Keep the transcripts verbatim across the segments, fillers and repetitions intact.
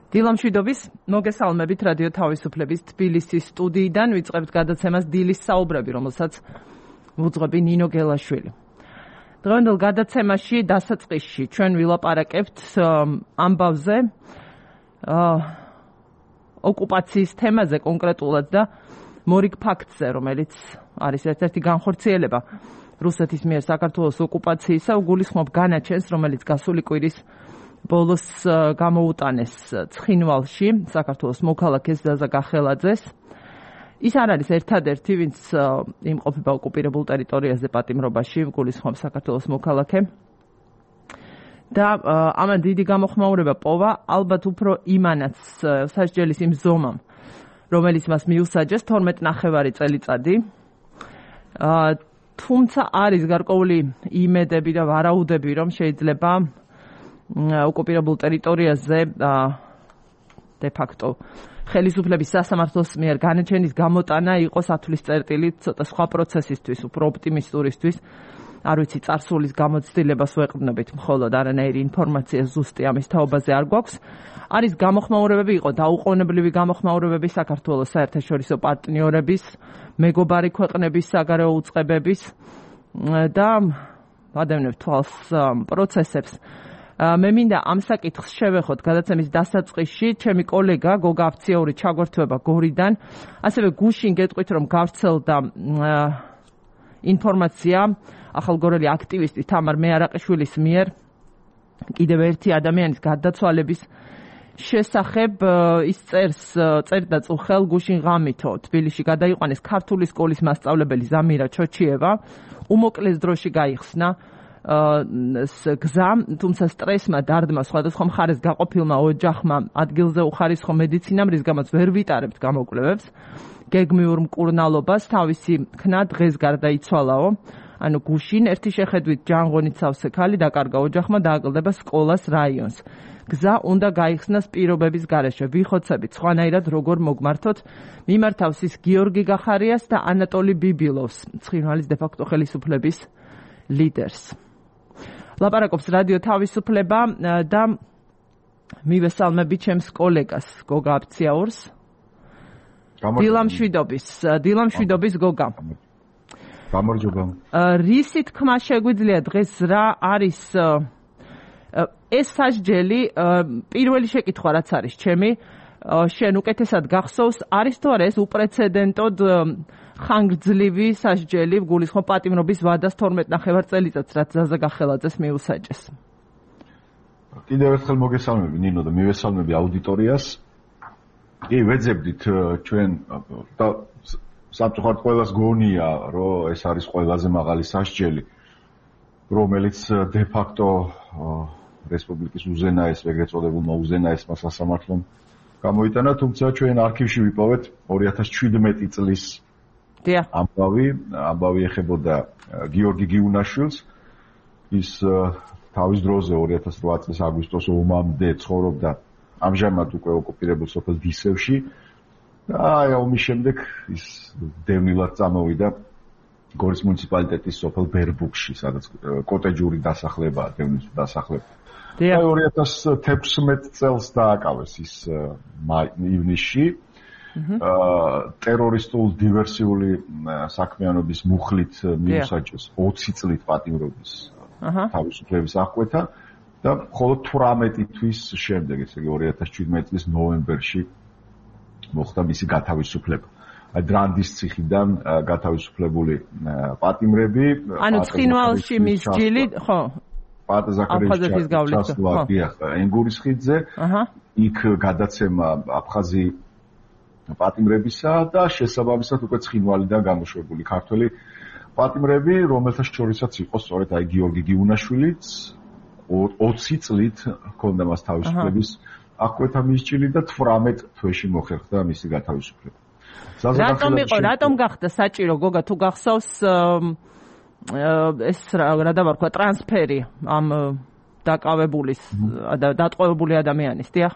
დილამშვიდობის, მოგესალმებით რადიო თავისუფლების თბილისის სტუდიიდან ვიწყებთ გადაცემას დილის საუბრები, რომელსაც ვუძღვები ნინო გელაშვილი. დღევანდელ გადაცემაში დასაწყისში ჩვენ ვილაპარაკებთ ამბავზე, ოკუპაციის თემაზე კონკრეტულად და მორიგ ფაქტზე, რომელიც არის ერთ-ერთი განხორციელება რუსეთის მიერ საქართველოს ოკუპაციისა, უგულისხმობ განაჩენს, რომელიც გასული კვირის ბოლოს გამოუტანეს ცხინვალში საქართველოს მოქალაქეს ზაზა გახელაძეს. ის არ არის ერთადერთი, ვინც იმყოფება ოკუპირებულ ტერიტორიაზე პატიმრობაში, გულისხმობს საქართველოს მოქალაქე. და ამან დიდი გამოხმაურება პოვა, ალბათ უფრო იმანაც სასჯელის იმ ზომამ, რომელიც მას მიუსაჯეს თორმეტ ნახევარი წელიწადი. თუმცა არის გარკვეული იმედები და ვარაუდები, რომ შეიძლება ოკუპირებულ ტერიტორიაზე de facto ხელისუფლების სასამართლოს მიერ განაჩენის გამოტანა იყოს ათვლის წერტილი ცოტა სხვა პროცესისთვის, უფრო ოპტიმისტურისთვის. არ ვიცი, წარსულის გამოცდილებას ვეყრდნობით, მხოლოდ არანაირი ინფორმაცია ზუსტი ამის თაობაზე არ გვაქვს. არის გამოხმაურებები, იყო დაუყოვნებლივი გამოხმაურებები საქართველოს საერთაშორისო პარტნიორების, მეგობარი ქვეყნების საგარეო უწყებების და ვადევნებ თვალს პროცესებს. მე მინდა ამ საკითხს შევეხოთ გადაცემის დასაწყისში, ჩემი კოლეგა გოგა აფციაური ჩაგვერთვება გორიდან, ასევე გუშინ გეტყვით, რომ გავრცელდა ინფორმაცია ახალგორელი აქტივისტი თამარ მეარაყიშვილის მიერ კიდევ ერთი ადამიანის გარდაცვალების შესახებ. ის წერს წერდა წუხელ გუშინ ღამითო თბილისში გადაიყვანეს ქართული სკოლის მასწავლებელი ზამირა ჩოჩიევა, უმოკლეს დროში გაიხსნა გზა, თუმცა სტრესმა, დარდმა, სხვადასხვა მხარეს გაყოფილმა ოჯახმა ადგილზე უხარისხო მედიცინამ, რის გამოც ვერ ვიტარებთ გამოკვლევებს, გეგმიურ მკურნალობას თავისი ქნა დღეს გარდაიცვალაო. ანუ გუშინ ერთი შეხედვით ჯანღონით სავსე ქალი დაკარგა ოჯახმა, დააკლდება სკოლას რაიონს. გზა უნდა გაიხსნას პირობების გარეშე. ვიხოცებით სხვანაირად როგორ მოგმართოთ, მიმართავს ის გიორგი გახარიას და ანატოლი ბიბილოვს, ცხინვალის de facto ხელისუფლების ლიდერს. ლაპარაკობს რადიო თავისუფლება და მივესალმები ჩემს კოლეგას გოგა აფციაურს. დილამშვიდობის, დილამშვიდობის გოგა. გამარჯობა. რისი თქმა შეგვიძლია დღეს რა არის ეს სასჯელი? პირველი შეკითხვა რაც არის ჩემი, შენ უკეთესად გახსოვს, არის თუ არა ეს უპრეცედენტოდ ხანგრძლივი სასჯელი გულისხმობ პატიმრობის ვადას თორმეტ ნახევარ წელიწადს, რაც ზაზა გახელაძეს მიუსაჯეს. კიდევ ერთხელ მოგესალმები ნინო და მივესალმები აუდიტორიას. კი, ვეძებდით ჩვენ და სამწუხაროდ ყველას გონია, რომ ეს არის ყველაზე მაღალი სასჯელი, რომელიც de facto რესპუბლიკის უზენაეს, ეგრეთ წოდებულმა უზენაესმა სასამართლომ გამოიტანა, თუმცა ჩვენ არქივში ვიპოვეთ ორი ათას ჩვიდმეტი წლის ამბავი, ამბავი ეხებოდა გიორგი გიუნაშვილს. ის თავის დროზე ორი ათას რვა წლის აგვისტოს ომამდე ცხოვრობდა ამჟამად უკვე ოკუპირებულ სოფელ დისევში და აი ომის შემდეგ ის დევნილად წამოვიდა გორის მუნიციპალიტეტის სოფელ ბერბუქში, სადაც კოტეჯური დასახლებაა, დევნის დასახლება. აი ორი ათას თექვსმეტ წელს დააკავეს ის ივნისში. ტერორისტულ დივერსიული საქმიანობის მუხლით მიუსაჯეს ოცი წლით პატიმრობის თავისუფლების აღკვეთა და მხოლოდ თვრამეტი თვის შემდეგ, ესე იგი ორი ათას შვიდმეტი წლის ნოემბერში მოხდა მისი გათავისუფლება. აი დრანდის ციხიდან გათავისუფლებული პატიმრები, ანუ ცხინვალში მისჯილი, ხო? პატაზაკრევის ჩასვლა ენგურის ხიდზე, იქ გადაცემა აფხაზი პატიმრებისა და შესაბამისად უკვე ცხინვალიდან გამოშვებული ქართველი პატიმრები, რომელთა შორისაც იყო სწორედ აი გიორგი გიუნაშვილიც, ოცი წლით ჰქონდა მას თავისუფლების აღკვეთა მისჯილი და თვრამეტ თვეში მოხერხდა მისი გათავისუფლება. რატომ იყო, რატომ გახდა საჭირო გოგა თუ გახსოვს ეს რა დავარქვა ტრანსფერი ამ დაკავებულის და დატყვევებული ადამიანის, დიახ?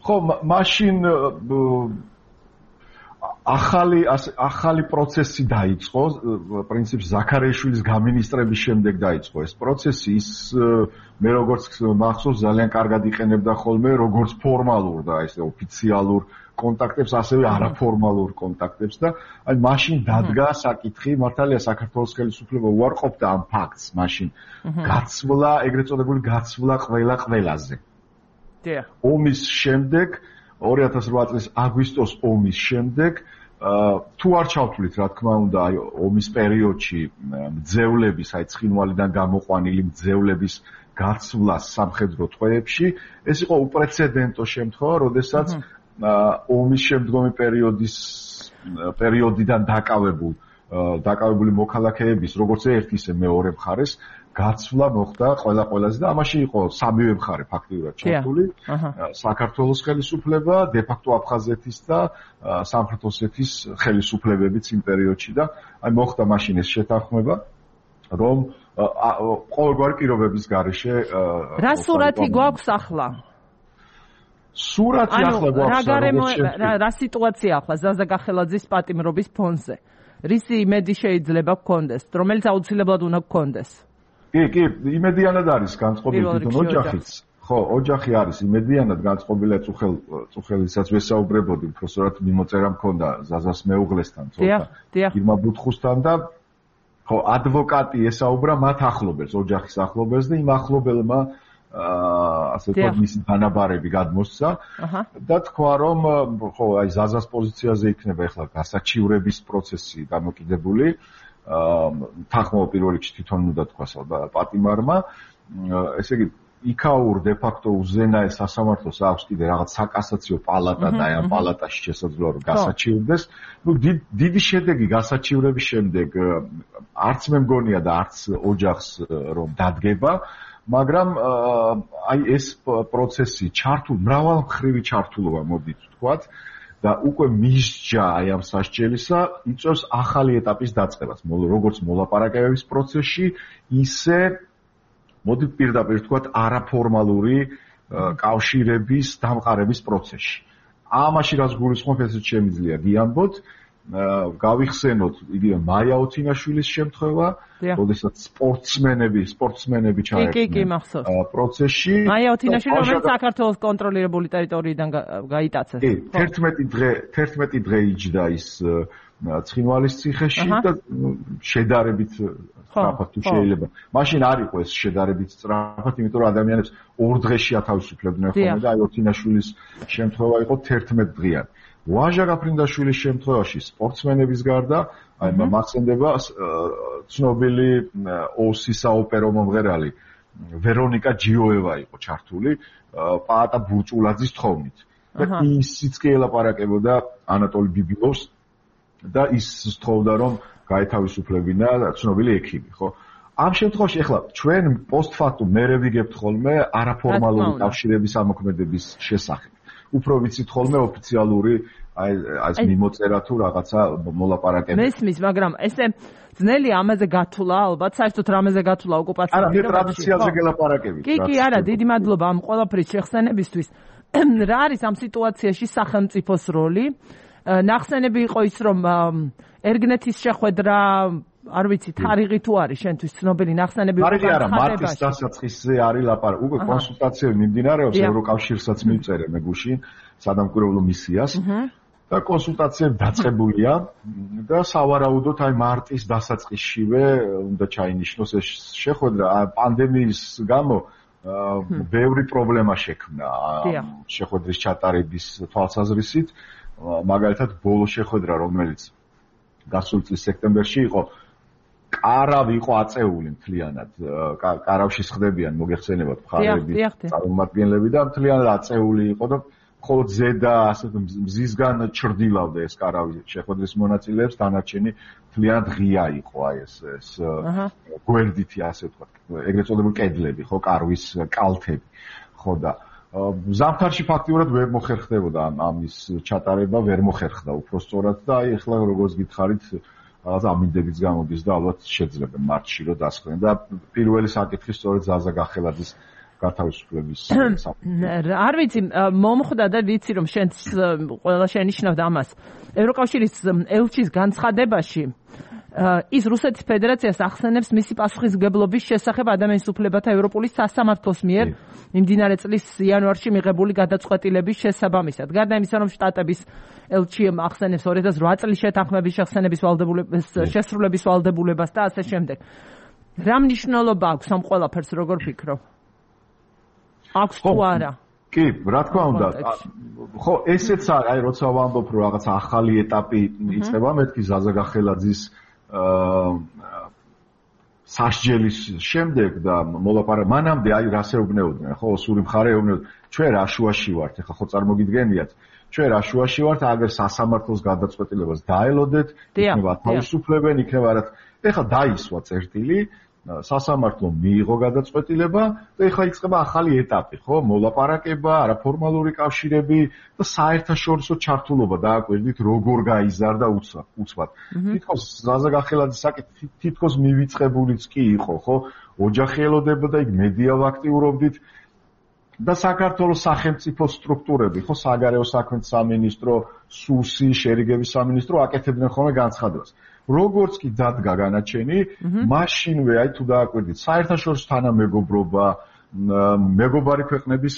ხო, მაშინ ახალი ახალი პროცესი დაიწყო, პრინციპში ზაქარიაშვილის გამინისტრების შემდეგ დაიწყო ეს პროცესი, ის მე როგორც მახსოვს ძალიან კარგად იყენებდა ხოლმე როგორც ფორმალურ და ესე ოფიციალურ კონტაქტებს, ასევე არაფორმალურ კონტაქტებს და აი მაშინ დადგა საკითხი, მართალია საქართველოს ხელისუფლება უარყოფდა ამ ფაქტს, მაშინ გაცვლა, ეგრეთ წოდებული გაცვლა ყველა ყველაზე. დიახ. ომის შემდეგ ორი ათას რვა წლის აგვისტოს ომის შემდეგ თუ არ ჩავთვლით, რა თქმა უნდა, აი ომის პერიოდში მძევლების, აი ცხინვალიდან გამოყვანილი მძევლების გაცვლა სამხედრო ტყვეებში, ეს იყო უპრეცედენტო შემთხვევა, როდესაც ომის შემდგომი პერიოდის პერიოდიდან დაკავებულ დაკავებული მოქალაქეების, როგორც ერთ ისე მეორე მხარეს გაცვლა მოხდა ყველა ყველაზე და ამაში იყო სამივე მხარე ფაქტიურად ჩართული. საქართველოს ხელისუფლება, დე-ფაქტო აფხაზეთის და სამხრეთ ოსეთის ხელისუფლებებიც იმ პერიოდში და აი მოხდა მაშინ ეს შეთანხმება, რომ ყოველგვარი პირობების გარეშე რა სურათი გვაქვს ახლა? სურათი ახლა გვაქვს რა სიტუაცია ახლა ზაზა გახელაძის პატიმრობის ფონზე? რისი იმედი შეიძლება გქონდეს, რომელიც აუცილებლად უნდა გქონდეს? კი, კი, იმედიანად არის განწყობილი თვითონ ოჯახიც. ხო, ოჯახი არის იმედიანად განწყობილი, წუხელ წუხელისაც ვესაუბრებოდი, უბრალოდ მიმოწერა მქონდა ზაზას მეუღლესთან, ცოტა ირმა ბუთხუსთან და ხო, ადვოკატი ესაუბრა მათ ახლობელს, ოჯახის ახლობელს და იმ ახლობელმა ასე ვთქვათ, მისი თანაბარები გადმოსცა და თქვა, რომ ხო, აი ზაზას პოზიციაზე იქნება ახლა გასაჩივრების პროცესი დამოკიდებული. თანხმობა პირველ რიგში თვითონ უნდა თქვას პატიმარმა, ესე იგი იქაურ დე-ფაქტო უზენაეს სასამართლოს აქვს კიდე რაღაც საკასაციო პალატა და ამ პალატაში შესაძლოა რომ გასაჩივრდეს. ნუ დიდი შედეგი გასაჩივრების შემდეგ არც მე მგონია და არც ოჯახს რომ დადგება, მაგრამ აი ეს პროცესი ჩართულ მრავალმხრივი ჩართულობა მოდით ვთქვათ და უკვე მისჯა აი ამ სასჯელისა იწვევს ახალი ეტაპის დაწყებას, როგორც მოლაპარაკებების პროცესში, ისე მოდით პირდაპირ ვთქვათ არაფორმალური კავშირების დამყარების პროცესში. ამაში რაც გულისხმობ, ესეც შემიძლია გიამბოთ, გავიხსენოთ იგივე მაია ოთინაშვილის შემთხვევა, როდესაც სპორტსმენები, სპორტსმენები ჩაერთნენ პროცესში. მაია ოთინაშვილი, რომელიც საქართველოს კონტროლირებული ტერიტორიიდან გაიტაცეს. კი, თერთმეტი დღე, თერთმეტი დღე იჯდა ის ცხინვალის ციხეში და შედარებით სწრაფად თუ შეიძლება. მაშინ არ იყო ეს შედარებით სწრაფად, იმიტომ რომ ადამიანებს ორ დღეში ათავისუფლებდნენ ხოლმე და აი ოთინაშვილის შემთხვევა იყო თერთმეტ დღიანი. ვაჟა გაფრინდაშვილის შემთხვევაში სპორტსმენების გარდა, აი მახსენდება ცნობილი ოსი საოპერო მომღერალი ვერონიკა ჯიოევა იყო ჩართული პაატა ბურჭულაძის თხოვნით. და ისიც კი ელაპარაკებოდა ანატოლი ბიბილოვს და ის სთხოვდა რომ გაეთავისუფლებინა ცნობილი ექიმი, ხო? ამ შემთხვევაში ახლა ჩვენ პოსტფაქტუმ მერე ვიგებთ ხოლმე არაფორმალური კავშირების ამოქმედების შესახებ. უფრო ვიცით ხოლმე ოფიციალური აი ეს მიმოწერა თუ რაღაცა მოლაპარაკება. მესმის, მაგრამ ესე ძნელი ამაზე გათვლა, ალბათ საერთოდ რამეზე გათვლა ოკუპაციის არა, მე ტრადიციაზე გელაპარაკებით. კი, კი, არა, დიდი მადლობა ამ ყველაფრის შეხსენებისთვის. რა არის ამ სიტუაციაში სახელმწიფოს როლი? ნახსენები იყო ის, რომ ერგნეთის შეხვედრა არ ვიცი, თარიღი თუ არის შენთვის ცნობილი ნახსენები იყო განცხადებაში. არა, მარტის დასაწყისზე არის ლაპარაკი. უკვე კონსულტაციები მიმდინარეობს ევროკავშირსაც მივწერე მე გუშინ სადამკვირვებლო მისიას და კონსულტაციები დაწყებულია და სავარაუდოდ აი მარტის დასაწყისშივე უნდა ჩაინიშნოს ეს შეხვედრა. პანდემიის გამო ბევრი პრობლემა შექმნა შეხვედრის ჩატარების თვალსაზრისით. მაგალითად, ბოლო შეხვედრა, რომელიც გასული წლის სექტემბერში იყო, კარავი იყო აწეული მთლიანად. კარავში ხდებიან მოგეხსენებათ მხარეები, წარმომადგენლები და მთლიანად აწეული იყო და მხოლოდ ზედა ასე მზისგან ჩრდილავდა ეს კარავი შეხვედრის მონაწილეებს, დანარჩენი მთლიანად ღია იყო აი ეს ეს გვერდითი ასე ვთქვათ, ეგრეთ წოდებული კედლები, ხო, კარვის კალთები. ხო და ზამთარში ფაქტიურად ვერ მოხერხდებოდა ამის ჩატარება, ვერ მოხერხდა უფრო სწორად და აი ახლა როგორც გითხარით, რაღაცა ამინდებიც გამოდის და ალბათ შეძლებენ მარტში რომ დასხდნენ და პირველი საკითხი სწორედ ზაზა გახელაძის გათავისუფლების არ ვიცი მომხვდა და ვიცი რომ შენ ყველა შენიშნავდა ამას ევროკავშირის ელჩის განცხადებაში ის რუსეთის ფედერაციას ახსენებს მისი პასუხისმგებლობის შესახებ ადამიანის უფლებათა ევროპული სასამართლოს მიერ მიმდინარე წლის იანვარში მიღებული გადაწყვეტილების შესაბამისად. გარდა იმისა, რომ შტატების ელჩი ახსენებს ორი ათას ოთხ წლის შეთანხმების შეხსენების ვალდებულებას, შესრულების ვალდებულებას და ასე შემდეგ. რა მნიშვნელობა აქვს ამ ყველაფერს, როგორ ფიქრობ? აქვს თუ არა? კი, რა თქმა უნდა. ხო, ესეც აი როცა ვამბობ რომ რაღაც ახალი ეტაპი იწყება, მეთქი ზაზა გახელაძის სასჯელის შემდეგ და მოლაპარაკება მანამდე აი რას ეუბნეოდნენ, ხო, სული მხარე ეუბნეოდნენ, ჩვენ რა შუაში ვართ, ეხლა ხო წარმოგიდგენიათ, ჩვენ რა შუაში ვართ, აგერ სასამართლოს გადაწყვეტილებას დაელოდეთ, იქნება თავისუფლებენ, იქნება რაც ეხლა დაისვა წერტილი სასამართლო მიიღო გადაწყვეტილება და ეხლა იწყება ახალი ეტაპი, ხო, მოლაპარაკება, არაფორმალური კავშირები და საერთაშორისო ჩართულობა დააკვირდით, როგორ გაიზარდა უცბად. თითქოს ზაზა გახელაძის საკითხი თითქოს მივიწყებულიც კი იყო, ხო, ოჯახი ელოდებოდა, იქ მედია ვაქტიურობდით და საქართველოს სახელმწიფო სტრუქტურები, ხო, საგარეო საქმეთა სამინისტრო, სუსი, შერიგების სამინისტრო აკეთებდნენ ხოლმე განცხადებას. როგორც კი დადგა განაჩენი, მაშინვე აი თუ დააკვირდით, საერთაშორისო თანამეგობრობა, მეგობარი ქვეყნების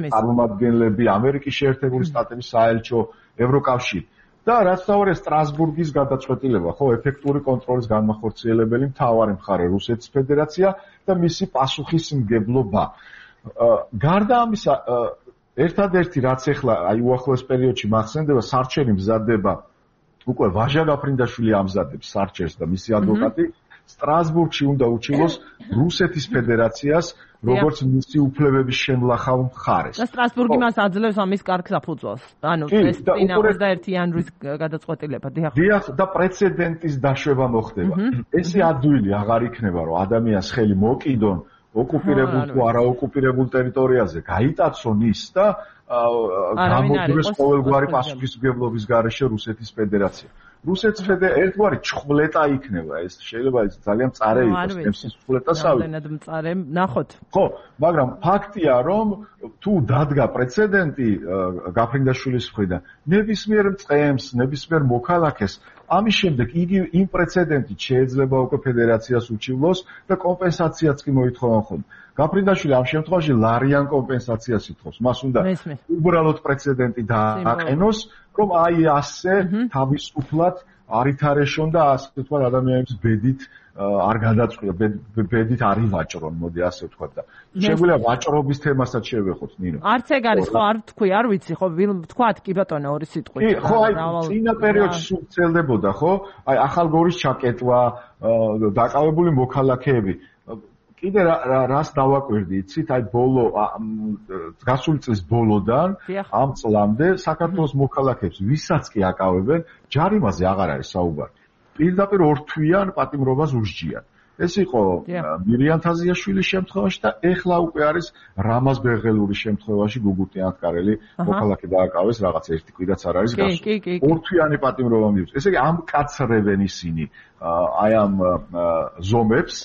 წარმომადგენლები, ამერიკის შეერთებული შტატების საელჩო, ევროკავშირი და რაც თავარია სტრასბურგის გადაწყვეტილება, ხო, ეფექტური კონტროლის განმახორციელებელი მთავარი მხარე რუსეთის ფედერაცია და მისი პასუხისმგებლობა. გარდა ამისა, ერთადერთი რაც ახლა აი უახლოეს პერიოდში მახსენდება, სარჩელი მზადდება უკვე ვაჟა გაფრინდაშვილი ამზადებს სარჩელს და მისი ადვოკატი სტრასბურგში უნდა უჩივლოს რუსეთის ფედერაციას როგორც მისი უფლებების შემლახავ მხარეს. და სტრასბურგი მას აძლევს ამის კარგ საფუძველს. ანუ ეს წინა ოცდაერთი იანვრის გადაწყვეტილება. დიახ, და პრეცედენტის დაშვება მოხდება. ესე ადვილი აღარ იქნება, რომ ადამიანს ხელი მოკიდონ ოკუპირებულ თუ არაოკუპირებულ ტერიტორიაზე გაიტაცონ ის და გამოგვიდეს ყოველგვარი პასუხისმგებლობის გარეშე რუსეთის ფედერაცია. რუსეთის ფედერაცია ერთგვარი ჩხვლეტა იქნება, ეს შეიძლება ის ძალიან მწარე იყოს, ეს ჩხვლეტასავი. რამდენად მწარე, ნახოთ. ხო, მაგრამ ფაქტია, რომ თუ დადგა პრეცედენტი გაფრინდაშვილის მხრიდან, ნებისმიერ მწყემს, ნებისმიერ მოქალაქეს ამის შემდეგ იგი იმ პრეცედენტით შეიძლება უკვე ფედერაციას უჩივლოს და კომპენსაციაც კი მოითხოვან ხოლმე. გაფრინდაშვილი ამ შემთხვევაში ლარიან კომპენსაციას ითხოვს. მას უნდა უბრალოდ პრეცედენტი დააყენოს, რომ აი ასე თავისუფლად არ ითარეშონ და ასე თქვა ადამიანების ბედით არ გადაწყვიტა, ბედით არ ივაჭრონ, მოდი ასე ვთქვა და შეგვიძლია ვაჭრობის თემასაც შევეხოთ, ნინო. არც ეგ არის, ხო, არ ვთქვი, არ ვიცი, ხო, ვთქვათ კი ბატონო ორი სიტყვით. კი, ხო, აი წინა პერიოდში სულ ვრცელდებოდა, ხო? აი ახალგორის ჩაკეტვა, დაკავებული მოქალაქეები. კიდე რას დავაკვირდი, იცით, აი ბოლო გასული წლის ბოლოდან ამ წლამდე საქართველოს მოქალაქეებს ვისაც კი აკავებენ, ჯარიმაზე აღარ არის საუბარი. პირდაპირ ორთვიან პატიმრობას უსჯიან. ეს იყო მირიან თაზიაშვილის შემთხვევაში და ეხლა უკვე არის რამაზ ბეღელურის შემთხვევაში გუგუტიანთკარელი მოქალაქე დააკავეს, რაღაც ერთი კვირაც არ არის გასული. ორთვიანი პატიმრობა მიუწეს. ესე იგი ამ კაცრებენ ისინი აი ამ ზომებს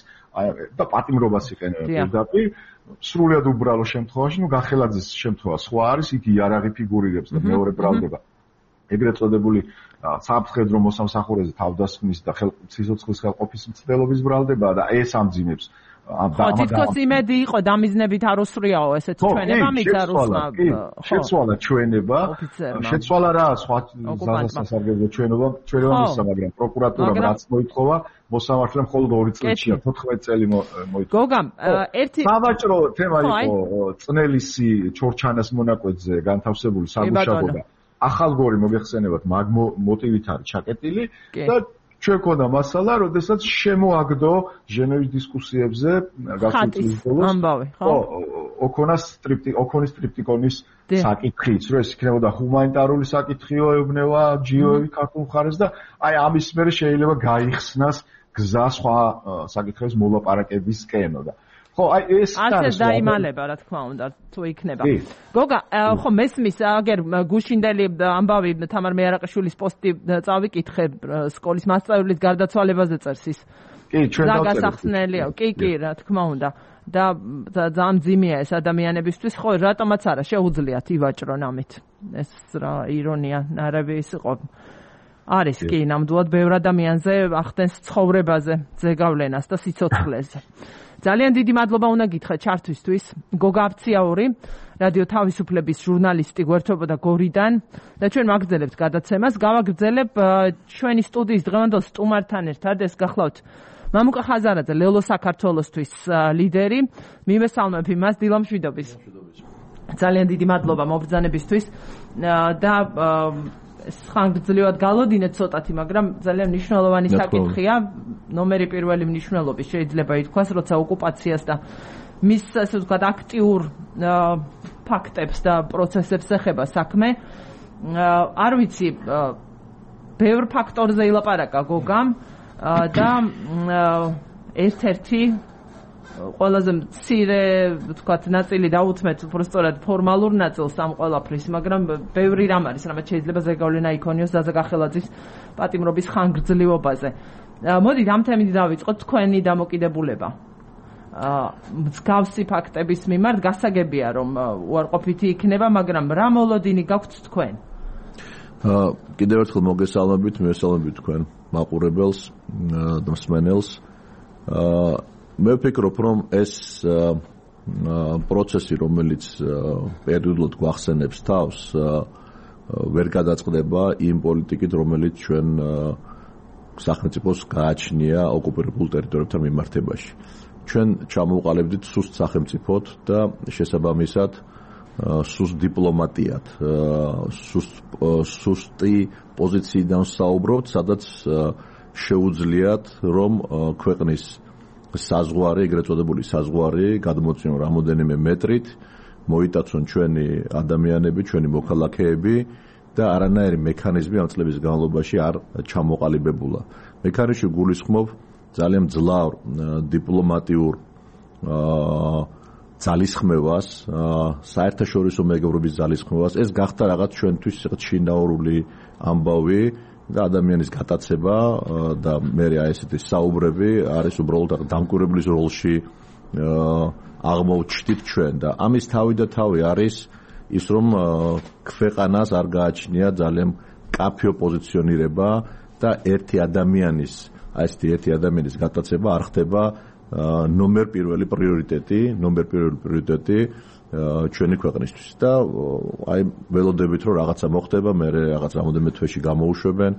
და პატიმრობას იყენებენ პირდაპირ სრულად უბრალო შემთხვევაში, ნუ გახელაძის შემთხვევა სხვა არის, იქ იარაღი ფიგურირებს და მეორე ბრალდება. ეგრეთ წოდებული სამხედრო მოსამსახურეზე თავდასხმის და სიცოცხლის ხელყოფის მცდელობის ბრალდება და ეს ამძიმებს. ხო, თითქოს იმედი იყო დამიზნებით არ უსრიაო ესეთი ჩვენება მიცა რუსმა. შეცვალა ჩვენება, შეცვალა რა სხვა საზასასარგებლო ჩვენება, ჩვენება მისცა, მაგრამ პროკურატურამ რაც მოითხოვა, მოსამართლემ მხოლოდ ორი წელია, თოთხმეტ წელი მოითხოვა. გოგამ, ერთი სავაჭრო თემა იყო წნელისი ჩორჩანას მონაკვეთზე განთავსებული საგუშაგო. ახალგორი მოგეხსენებათ მაგ მოტივით არის ჩაკეტილი და ჩვენ ქონდა მასალა, როდესაც შემოაგდო ჟენევის დისკუსიებზე გასულ წლის ბოლოს. ხო, ოქონას ტრიპტი, ოქონის ტრიპტიკონის საკითხიც, რომ ეს იქნებოდა ჰუმანიტარული საკითხიო ეუბნება ჯიოები ქართულ მხარეს და აი ამის მერე შეიძლება გაიხსნას გზა სხვა საკითხების მოლაპარაკებისკენო და ხო, აი ეს ასე დაიმალება, რა თქმა უნდა, თუ იქნება. გოგა, ხო მესმის, აგერ გუშინდელი ამბავი თამარ მეარაყიშვილის პოსტი წავიკითხე სკოლის მასწავლებლის გარდაცვალებაზე წერს ის. კი, ჩვენ დავწერთ. გასახსნელია, კი, კი, რა თქმა უნდა. და ძალიან ძიმეა ეს ადამიანებისთვის, ხო, რატომაც არა შეუძლიათ ივაჭრონ ამით. ეს რა ირონია, ნარევი ის იყო. არის კი, ნამდვილად ბევრ ადამიანზე ახდენს ცხოვრებაზე ზეგავლენას და სიცოცხლეზე. ძალიან დიდი მადლობა უნდა გითხრა ჩართვისთვის. გოგა აფციაური, რადიო თავისუფლების ჟურნალისტი გვერდთვებოდა გორიდან და ჩვენ მაგრძელებთ გადაცემას. გავაგრძელებ ჩვენი სტუდიის დღევანდელ სტუმართან ერთად, ეს გახლავთ მამუკა ხაზარაძე, ლელო საქართველოსთვის ლიდერი. მივესალმებ იმას დილა მშვიდობის. ძალიან დიდი მადლობა მობრძანებისთვის და ხანგრძლივად გალოდინეთ ცოტათი, მაგრამ ძალიან მნიშვნელოვანი საკითხია, ნომერი პირველი მნიშვნელობის შეიძლება ითქვას, როცა ოკუპაციას და მის ასე ვთქვათ აქტიურ ფაქტებს და პროცესებს ეხება საქმე. არ ვიცი, ბევრ ფაქტორზე ილაპარაკა გოგამ და ერთ-ერთი ყველაზე მცირე ვთქვათ ნაწილი დაუთმეთ უბრალოდ ფორმალურ ნაწილს ამ ყველაფრის, მაგრამ ბევრი რამ არის, რამაც შეიძლება ზეგავლენა იქონიოს ზაზა გახელაძის პატიმრობის ხანგრძლივობაზე. მოდით ამ თემით დავიწყოთ თქვენი დამოკიდებულება. მსგავსი ფაქტების მიმართ გასაგებია, რომ უარყოფითი იქნება, მაგრამ რა მოლოდინი გაქვთ თქვენ? კიდევ ერთხელ მოგესალმებით, მივესალმებით თქვენ მაყურებელს და მსმენელს. მე ვფიქრობ, რომ ეს პროცესი, რომელიც პერიოდულად გვახსენებს თავს, ვერ გადაწყდება იმ პოლიტიკით, რომელიც ჩვენ სახელმწიფოს გააჩნია ოკუპირებულ ტერიტორიებთან მიმართებაში. ჩვენ ჩამოვყალიბდით სუსტ სახელმწიფოთ და შესაბამისად სუსტ დიპლომატიად, სუსტი პოზიციიდან საუბრობთ, სადაც შეუძლიათ, რომ ქვეყნის საზღვარი, ეგრეთ წოდებული საზღვარი გადმოწიონ რამოდენიმე მეტრით, მოიტაცონ ჩვენი ადამიანები, ჩვენი მოქალაქეები და არანაირი მექანიზმი ამ წლების განმავლობაში არ ჩამოყალიბებულა. მექანიზმი გულისხმობ ძალიან მძლავრ დიპლომატიურ ძალისხმევას, საერთაშორისო მეგობრობის ძალისხმევას. ეს გახდა რაღაც ჩვენთვის შინაურული ამბავი და ადამიანის გატაცება და მე აი ესეთი საუბრები არის უბრალოდ დამკვირვებლის როლში აღმოჩნდით ჩვენ და ამის თავი და თავი არის ის, რომ ქვეყანას არ გააჩნია ძალიან კაფეო პოზიციონირება და ერთი ადამიანის აი ესეთი ერთი ადამიანის გატაცება არ ხდება ნომერ პირველი პრიორიტეტი, ნომერ პირველი პრიორიტეტი ჩვენი ქვეყნისთვის და აი ველოდებით რომ რაღაცა მოხდება, მე რაღაც რამოდენიმე თვეში გამოუშვებენ.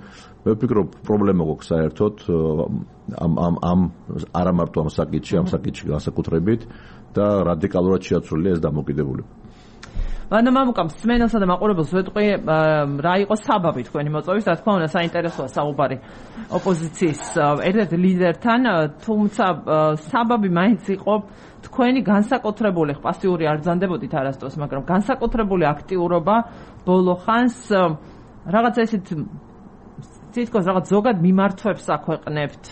მე ვფიქრობ, პრობლემა გვაქვს საერთოდ ამ ამ ამ არა მარტო ამ საკითხში, ამ საკითხში განსაკუთრებით და რადიკალურად შეაცვლილია ეს დამოკიდებულება. ანუ მამუკამ სმენელსა და მაყურებელს ვეტყვი, რა იყო საბაბი თქვენი მოწვევის, რა თქმა უნდა, საინტერესოა საუბარი ოპოზიციის ერთ-ერთ ლიდერთან, თუმცა საბაბი მაინც იყო თქვენი განსაკუთრებული, პასიური არ ბრძანდებოდით არასდროს, მაგრამ განსაკუთრებული აქტიურობა ბოლო ხანს რაღაც ესეთ თითქოს რაღაც ზოგად მიმართვებს აქვეყნებთ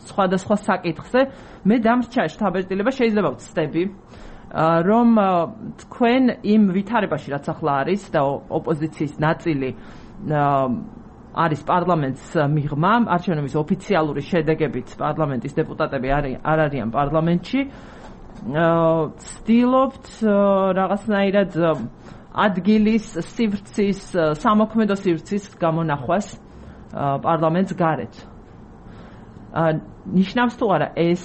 სხვადასხვა საკითხზე. მე დამრჩა შთაბეჭდილება, შეიძლება ვცდები, რომ თქვენ იმ ვითარებაში, რაც ახლა არის და ოპოზიციის ნაწილი არის პარლამენტს მიღმა, არჩევნების ოფიციალური შედეგებით პარლამენტის დეპუტატები არ არიან პარლამენტში. ცდილობთ რაღაცნაირად ადგილის სივრცის, სამოქმედო სივრცის გამონახვას პარლამენტს გარეთ. ნიშნავს თუ არა ეს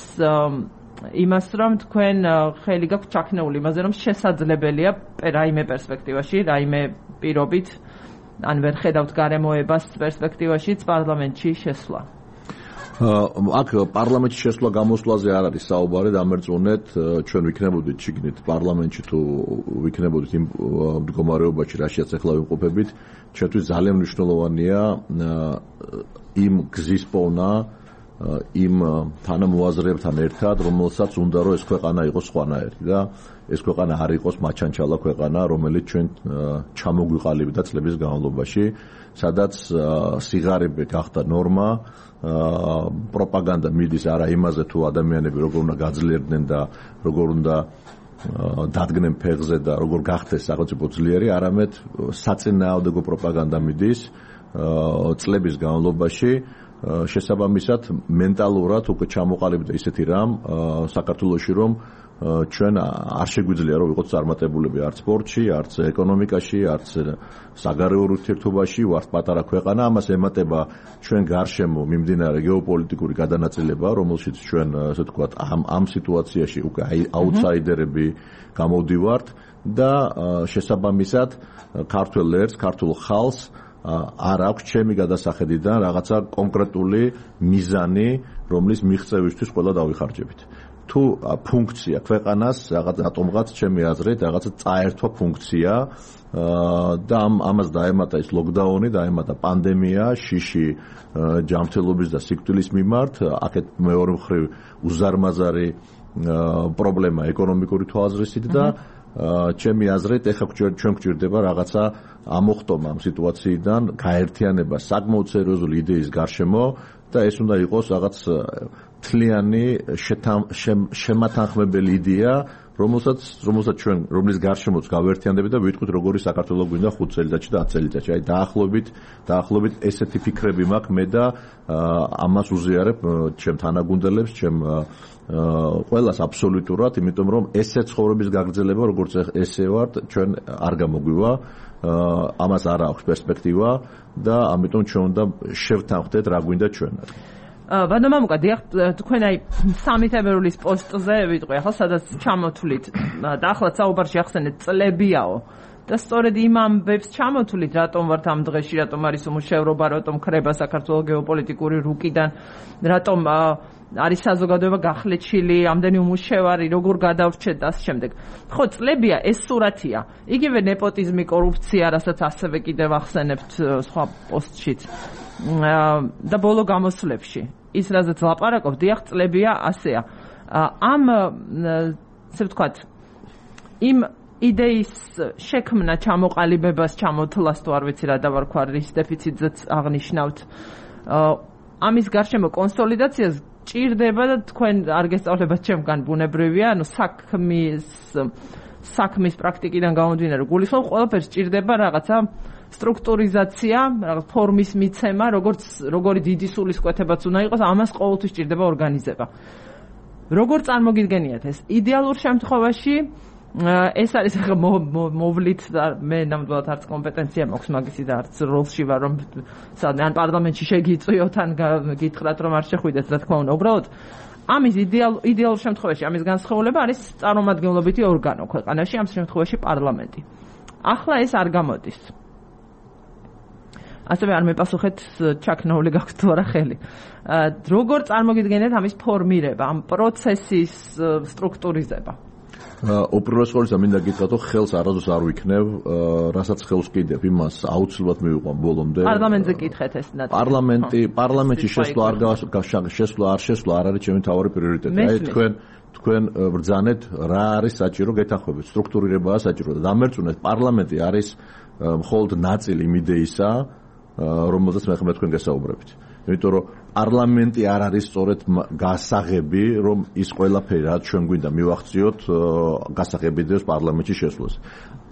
იმას, რომ თქვენ ხელი გაქვთ ჩაქნეული იმაზე, რომ შესაძლებელია რაიმე პერსპექტივაში, რაიმე პირობით, ან ვერ ხედავთ გარემოებას პერსპექტივაშიც პარლამენტში შესვლა. აქ პარლამენტში შესვლა გამოსვლაზე არ არის საუბარი, დამერწმუნეთ, ჩვენ ვიქნებოდით შიგნით პარლამენტში თუ ვიქნებოდით იმ მდგომარეობაში, რაშიაც ახლა ვიმყოფებით, ჩვენთვის ძალიან მნიშვნელოვანია იმ გზის პოვნა, იმ თანამოაზრეებთან ერთად, რომელსაც უნდა რომ ეს ქვეყანა იყოს სხვანაირი და ეს ქვეყანა არ იყოს მაჩანჩალა ქვეყანა, რომელიც ჩვენ ჩამოგვიყალიბდა წლების განმავლობაში, სადაც სიგარები გახდა ნორმა, პროპაგანდა მიდის არა იმაზე თუ ადამიანები როგორ უნდა გაძლიერდნენ და როგორ უნდა დადგნენ ფეხზე და როგორ გახდეს სახელმწიფო ძლიერი, არამედ საწინააღმდეგო პროპაგანდა მიდის წლების განმავლობაში. შესაბამისად მენტალურად უკვე ჩამოყალიბდა ისეთი რამ საქართველოში, რომ ჩვენ არ შეგვიძლია რომ ვიყოთ წარმატებულები არც სპორტში, არც ეკონომიკაში, არც საგარეო ურთიერთობაში, ვართ პატარა ქვეყანა, ამას ემატება ჩვენ გარშემო მიმდინარე გეოპოლიტიკური გადანაწილება, რომელშიც ჩვენ ასე ვთქვათ ამ ამ სიტუაციაში უკვე აუტსაიდერები გამოვდივართ და შესაბამისად ქართველ ერს, ქართულ ხალხს არ აქვს ჩემი გადასახედიდან რაღაცა კონკრეტული მიზანი, რომლის მიღწევისთვის ყველა დავიხარჯებით. თუ ფუნქცია ქვეყანას რაღაც რატომღაც ჩემი აზრით რაღაცა წაერთვა ფუნქცია და ამას დაემატა ის ლოკდაუნი, დაემატა პანდემია, შიში ჯანმრთელობის და სიკვდილის მიმართ, აქეთ მეორე მხრივ უზარმაზარი პრობლემა ეკონომიკური თვალსაზრისით და ჩემი აზრით ეხლა ჩვენ გვჭირდება რაღაცა ამოხტომა ამ სიტუაციიდან, გაერთიანება საკმაოდ სერიოზული იდეის გარშემო და ეს უნდა იყოს რაღაც თლიანი შემათანხმებელი იდეა, რომელსაც რომელსაც ჩვენ რომლის გარშემოც გავერთიანდებით და ვიტყვით როგორი საქართველოს გვინდა ხუთ წელიწადში და ათ წელიწადში. აი დაახლოებით დაახლოებით ესეთი ფიქრები მაქვს მე და ამას უზიარებ ჩემ თანაგუნდელებს, ჩემ ყველას აბსოლუტურად, იმიტომ რომ ესე ცხოვრების გაგრძელება როგორც ესე ვართ, ჩვენ არ გამოგვივა, ამას არ აქვს პერსპექტივა და ამიტომ ჩვენ უნდა შევთანხმდეთ რა გვინდა ჩვენ. ბატონო მამუკა, დიახ, თქვენ აი სამი თებერვლის პოსტზე ვიტყვი, ახლა სადაც ჩამოთვლით და ახლა საუბარში ახსენეთ წლებიაო და სწორედ იმ ამბებს ჩამოთვლით, რატომ ვართ ამ დღეში, რატომ არის უმუშევრობა, რატომ ხრება საქართველოს გეოპოლიტიკური რუკიდან, რატომ არის საზოგადოება გახლეჩილი, ამდენი უმუშევარი, როგორ გადავრჩეთ და ამ შემდეგ. ხო, წლებია ეს სურათია. იგივე ნეპოტიზმი, კორუფცია, რასაც ასევე კიდევ ახსენებთ სხვა პოსტშიც. და ბოლო გამოსვლებში ის რაზეც ლაპარაკობ, დიახ, წლებია ასეა. ამ ასე ვთქვათ, იმ იდეის შექმნა, ჩამოყალიბებას, ჩამოთვლას თუ არ ვიცი რა დავარქვა, რის დეფიციტზეც აღნიშნავთ. ამის გარშემო კონსოლიდაციას ჭირდება და თქვენ არ გესწავლებათ ჩემგან ბუნებრივია, ანუ საქმის საქმის პრაქტიკიდან გამომდინარე, გულისხმობ ყველაფერს ჭირდება რაღაცა სტრუქტურიზაცია, რაღაც ფორმის მიცემა, როგორც როგორი დიდი სულისკვეთებაც უნდა იყოს, ამას ყოველთვის ჭირდება ორგანიზება. როგორ წარმოგიდგენიათ ეს? იდეალურ შემთხვევაში ეს არის ახლა მოვლით და მე ნამდვილად არც კომპეტენცია მაქვს მაგისი და არც როლში ვარ, რომ სადმე ან პარლამენტში შეგიწვიოთ, ან გითხრათ რომ არ შეხვიდეთ, რა თქმა უნდა. უბრალოდ ამის იდეალ იდეალურ შემთხვევაში ამის განსხვავება არის წარმომადგენლობითი ორგანო ქვეყანაში, ამ შემთხვევაში პარლამენტი. ახლა ეს არ გამოდის. ასევე არ მეპასუხეთ ჩაქნაული გაქვთ თუ არა ხელი. როგორ წარმოგიდგენიათ ამის ფორმირება, ამ პროცესის სტრუქტურიზება? უპირველეს ყოვლისა მინდა გითხრათ, რომ ხელს არასდროს არ ვიქნევ, რასაც ხელს კიდევ იმას აუცილებლად მივიყვან ბოლომდე. პარლამენტზე გითხეთ ეს ნაწილი. პარლამენტი, პარლამენტში შესვლა არ შესვლა არ შესვლა არ არის ჩემი თავარი პრიორიტეტი. აი თქვენ თქვენ ბრძანეთ რა არის საჭირო გეთანხმებით, სტრუქტურირებაა საჭირო და დამერწმუნეთ, პარლამენტი არის მხოლოდ ნაწილი იმ იდეისა, რომელზეც მე ხომ თქვენ გესაუბრებით. იმიტომ რომ პარლამენტი არ არის სწორედ გასაღები, რომ ის ყველაფერი რაც ჩვენ გვინდა მივახციოთ, გასაღები დევს პარლამენტში შესვლას.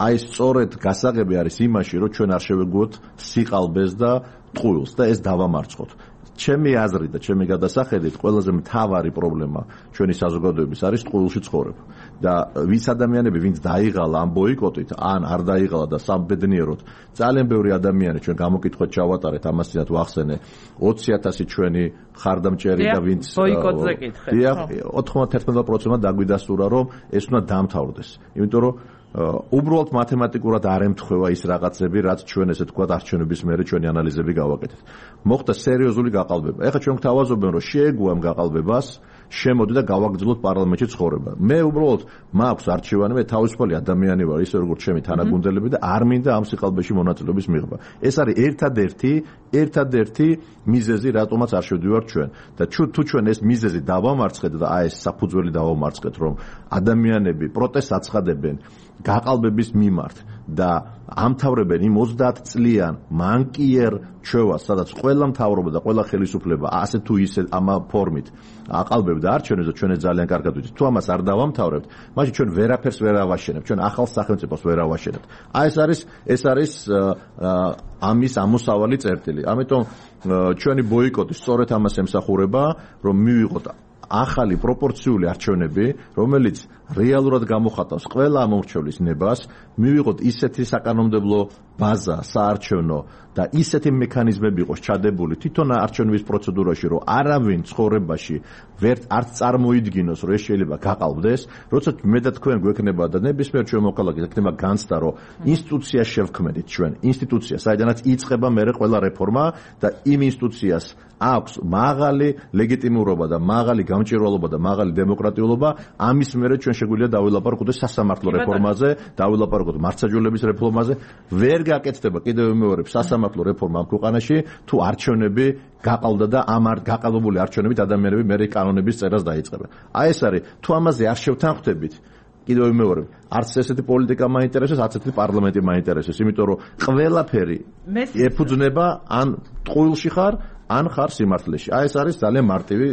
აი სწორედ გასაღები არის იმაში, რომ ჩვენ არ შევეგუოთ სიყალბეს და ტყუილს და ეს დავამარცხოთ. ჩემი აზრით და ჩემი გადასახედით ყველაზე მთავარი პრობლემა ჩვენი საზოგადოების არის ტყუილში ცხოვრება. და ვის ადამიანები, ვინც დაიღალა ამ ბოიკოტით, ან არ დაიღალა და სამბედნიეროდ, ძალიან ბევრი ადამიანი ჩვენ გამოკითხვით ჩავატარეთ, ამასაც ვახსენე, ოცი ათასი ჩვენი ხარდამჭერი და ვინც ბოიკოტზე კითხეთ. დიახ, ოთხმოცდაათი პროცენტმა დაგვიდასტურა, რომ ეს უნდა დამთავრდეს. იმიტომ რომ უბრალოდ მათემატიკურად არ ემთხვევა ის რაღაცები, რაც ჩვენ ესე თქვა არჩევნების მერე ჩვენი ანალიზები გავაკეთეთ. მოხდა სერიოზული გაყალბება. ეხლა ჩვენ გვთავაზობენ, რომ შეეგუამ გაყალბებას, შემოდი და გავაგრძელოთ პარლამენტში ცხოვრება. მე უბრალოდ მაქვს არჩევანი, მე თავისუფალი ადამიანი ვარ, ისე როგორც ჩემი თანაგუნდელები და არ მინდა ამ სიყალბეში მონაწილეობის მიღება. ეს არის ერთადერთი, ერთადერთი მიზეზი, რატომაც არ შევდივართ ჩვენ. და თუ ჩვენ ეს მიზეზი დავამარცხეთ და აი ეს საფუძველი დავამარცხეთ, რომ ადამიანები პროტესტს აცხადებენ გაყალბების მიმართ და ამთავრებენ იმ ოცდაათ წლიან მანკიერ ჩვევას, სადაც ყველა მთავრობა და ყველა ხელისუფლება ასე თუ ისე ამ ფორმით აყალბებდა არჩევნებს და ჩვენ ძალიან კარგად ვიცით. თუ ამას არ დავამთავრებთ, მაშინ ჩვენ ვერაფერს ვერ ავაშენებთ, ჩვენ ახალ სახელმწიფოს ვერ ავაშენებთ. აი ეს არის ეს არის ამის ამოსავალი წერტილი. ამიტომ ჩვენი ბოიკოტი სწორედ ამას ემსახურება, რომ მივიღოთ ახალი პროპორციული არჩევნები, რომელიც რეალურად გამოხატავს ყველა ამომრჩევლის ნებას, მივიღოთ ისეთი საკანონმდებლო ბაზა საარჩევნო და ისეთი მექანიზმები იყოს ჩადებული თვითონ არჩევნების პროცედურაში, რომ არავინ ცხოვრებაში ვერ არც წარმოიდგინოს, რომ ეს შეიძლება გაყალბდეს, როცა მე და თქვენ გვექნება და ნებისმიერ ჩვენ მოქალაქეს ექნება განცდა, რომ ინსტიტუციას შევქმნით ჩვენ, ინსტიტუცია, საიდანაც იწყება მერე ყველა რეფორმა და იმ ინსტიტუციას აქვს მაღალი ლეგიტიმურობა და მაღალი გამჭირვალობა და მაღალი დემოკრატიულობა, ამის მერე ჩვენ შეგვიძლია დავილაპარაკოთ სასამართლო რეფორმაზე, დავილაპარაკოთ მართლმსაჯულების რეფორმაზე, ვერ გაკეთდება კიდევ მეორე სასამართლო რეფორმა ამ ქვეყანაში, თუ არჩევნები გაყალბდა და ამ არ გაყალბებული არჩევნებით ადამიანები მერე კანონების წერას დაიწყებენ. აი ეს არის, თუ ამაზე არ შევთანხმდებით, კიდევ მეორე, არც ესეთი პოლიტიკა მაინტერესებს, არც ესეთი პარლამენტი მაინტერესებს, იმიტომ რომ ყველაფერი ეფუძნება ან ტყუილში ხარ, ან ხარ სიმართლეში. აი ეს არის ძალიან მარტივი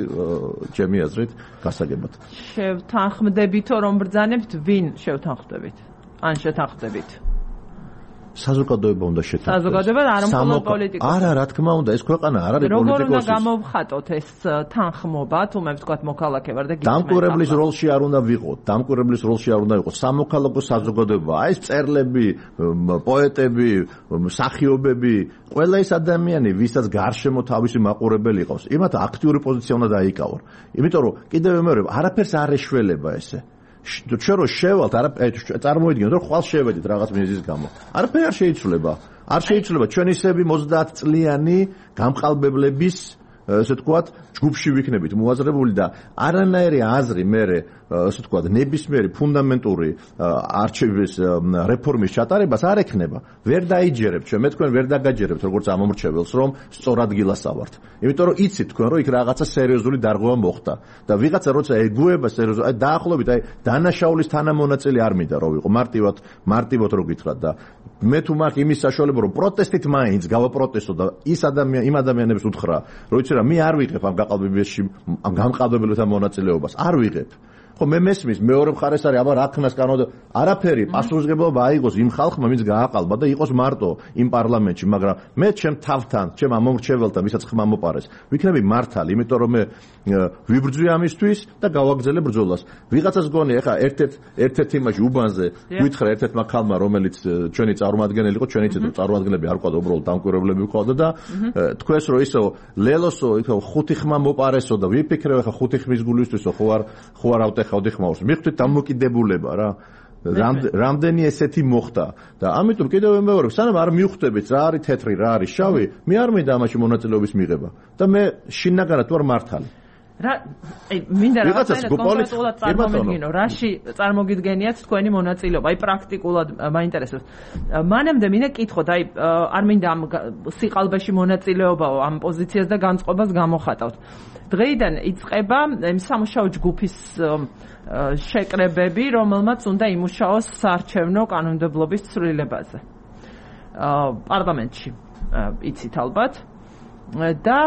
ჩემი აზრით გასაგებად. შევთანხმდებითო რომ ბრძანებთ, ვინ შევთანხმდებით? ან შეთანხმდებით? საზოგადოება უნდა შეთანხმდეს. საზოგადოება არ მხოლოდ პოლიტიკოსი. არა, რა თქმა უნდა, ეს ქვეყანა არ არის პოლიტიკოსის. როგორ უნდა გამოვხატოთ ეს თანხმობა, თუ მე ვთქვათ მოქალაქე ვარ და გიჩვენე. დამკვირვებლის როლში არ უნდა ვიყოთ, დამკვირვებლის როლში არ უნდა ვიყოთ. სამოქალაქო საზოგადოება, აი ეს მწერლები, პოეტები, მსახიობები, ყველა ეს ადამიანი, ვისაც გარშემო თავისი მაყურებელი ყავს, იმათ აქტიური პოზიცია უნდა დაიკავონ. იმიტომ რომ კიდევ მეორე, არაფერს არ ეშველება ესე. ჩვენ რო შევალთ, არა წარმოიდგინოთ, რომ ხვალ შევედით რაღაც მიზეზის გამო. არაფერი არ შეიცვლება. არ შეიცვლება ჩვენ ისები ოცდაათ წლიანი გამყალბებლების, ესე ვთქვათ, ჯგუფში ვიქნებით მოაზრებული და არანაირი აზრი მე, ესე ვთქვათ, ნებისმიერი ფუნდამენტური არჩევის რეფორმის ჩატარებას არ ექნება. ვერ დაიჯერებთ ჩვენ, მე თქვენ ვერ დაგაჯერებთ როგორც ამომრჩეველს, რომ სწორ ადგილას ავართ. იმიტომ რომ იცით თქვენ, რომ იქ რაღაცა სერიოზული დარღვევა მოხდა და ვიღაცა როცა ეგუება სერიოზულად, აი დაახლოებით, აი დანაშაულის თანამონაწილე არ მინდა რომ ვიყო, მარტივად, მარტივად რო გითხრათ და მე თუ მაქვს იმის საშუალება, რომ პროტესტით მაინც გავაპროტესტო და ის ადამიან იმ ადამიანებს უთხრა, რომ იცი რა, მე არ ვიღებ ამ გაყალბებაში ამ გამყალბებელთა მონაწილეობას, არ ვიღებ. ხო მე მესმის მეორე მხარეს არის აბა რა ქნას კანონდა არაფერი პასუხისმგებლობა აიღოს იმ ხალხმა ვინც გააყალბა და იყოს მარტო იმ პარლამენტში მაგრამ მე ჩემ თავთან ჩემ ამომრჩეველთან ვისაც ხმა მოპარეს ვიქნები მართალი იმიტომ რომ მე ვიბრძვი ამისთვის და გავაგრძელებ ბრძოლას ვიღაცას გონი ეხა ერთ-ერთ ერთ-ერთ იმაში უბანზე გვითხრა ერთ-ერთმა ხალმა რომელიც ჩვენი წარმომადგენელი იყო ჩვენი ცეთრო წარმომადგენლები არ ყავდა უბრალოდ დამკვირვებლები ყავდა და თქვენს რომ ისო ლელოსო იქ ხუთი ხმა მოპარესო და ვიფიქრე ეხა ხუთი ხმის გულისთვისო ხო არ ხო არ ავტეხავდი ხმაურს მიხდით დამოკიდებულება რა რამდენი ესეთი მოხდა და ამიტომ კიდევ მეორე სანამ არ მივხვდებით რა არის თეთრი რა არის შავი მე არ მინდა ამაში მონაწილეობის მიღება და მე შინაგანად ვარ მართალი რა აი მინდა რაღაცა კონკრეტულად წარმოგიდგინო რაში წარმოგიდგენიათ თქვენი მონაწილეობა აი პრაქტიკულად მაინტერესებს მანამდე მინდა კითხოთ აი არ მინდა ამ სიყალბეში მონაწილეობაო ამ პოზიციას და განწყობას გამოხატავთ დღეიდან იწყება სამუშაო ჯგუფის შეკრებები რომელმაც უნდა იმუშაოს საარჩევნო კანონმდებლობის ცვლილებაზე პარლამენტში იცით ალბათ და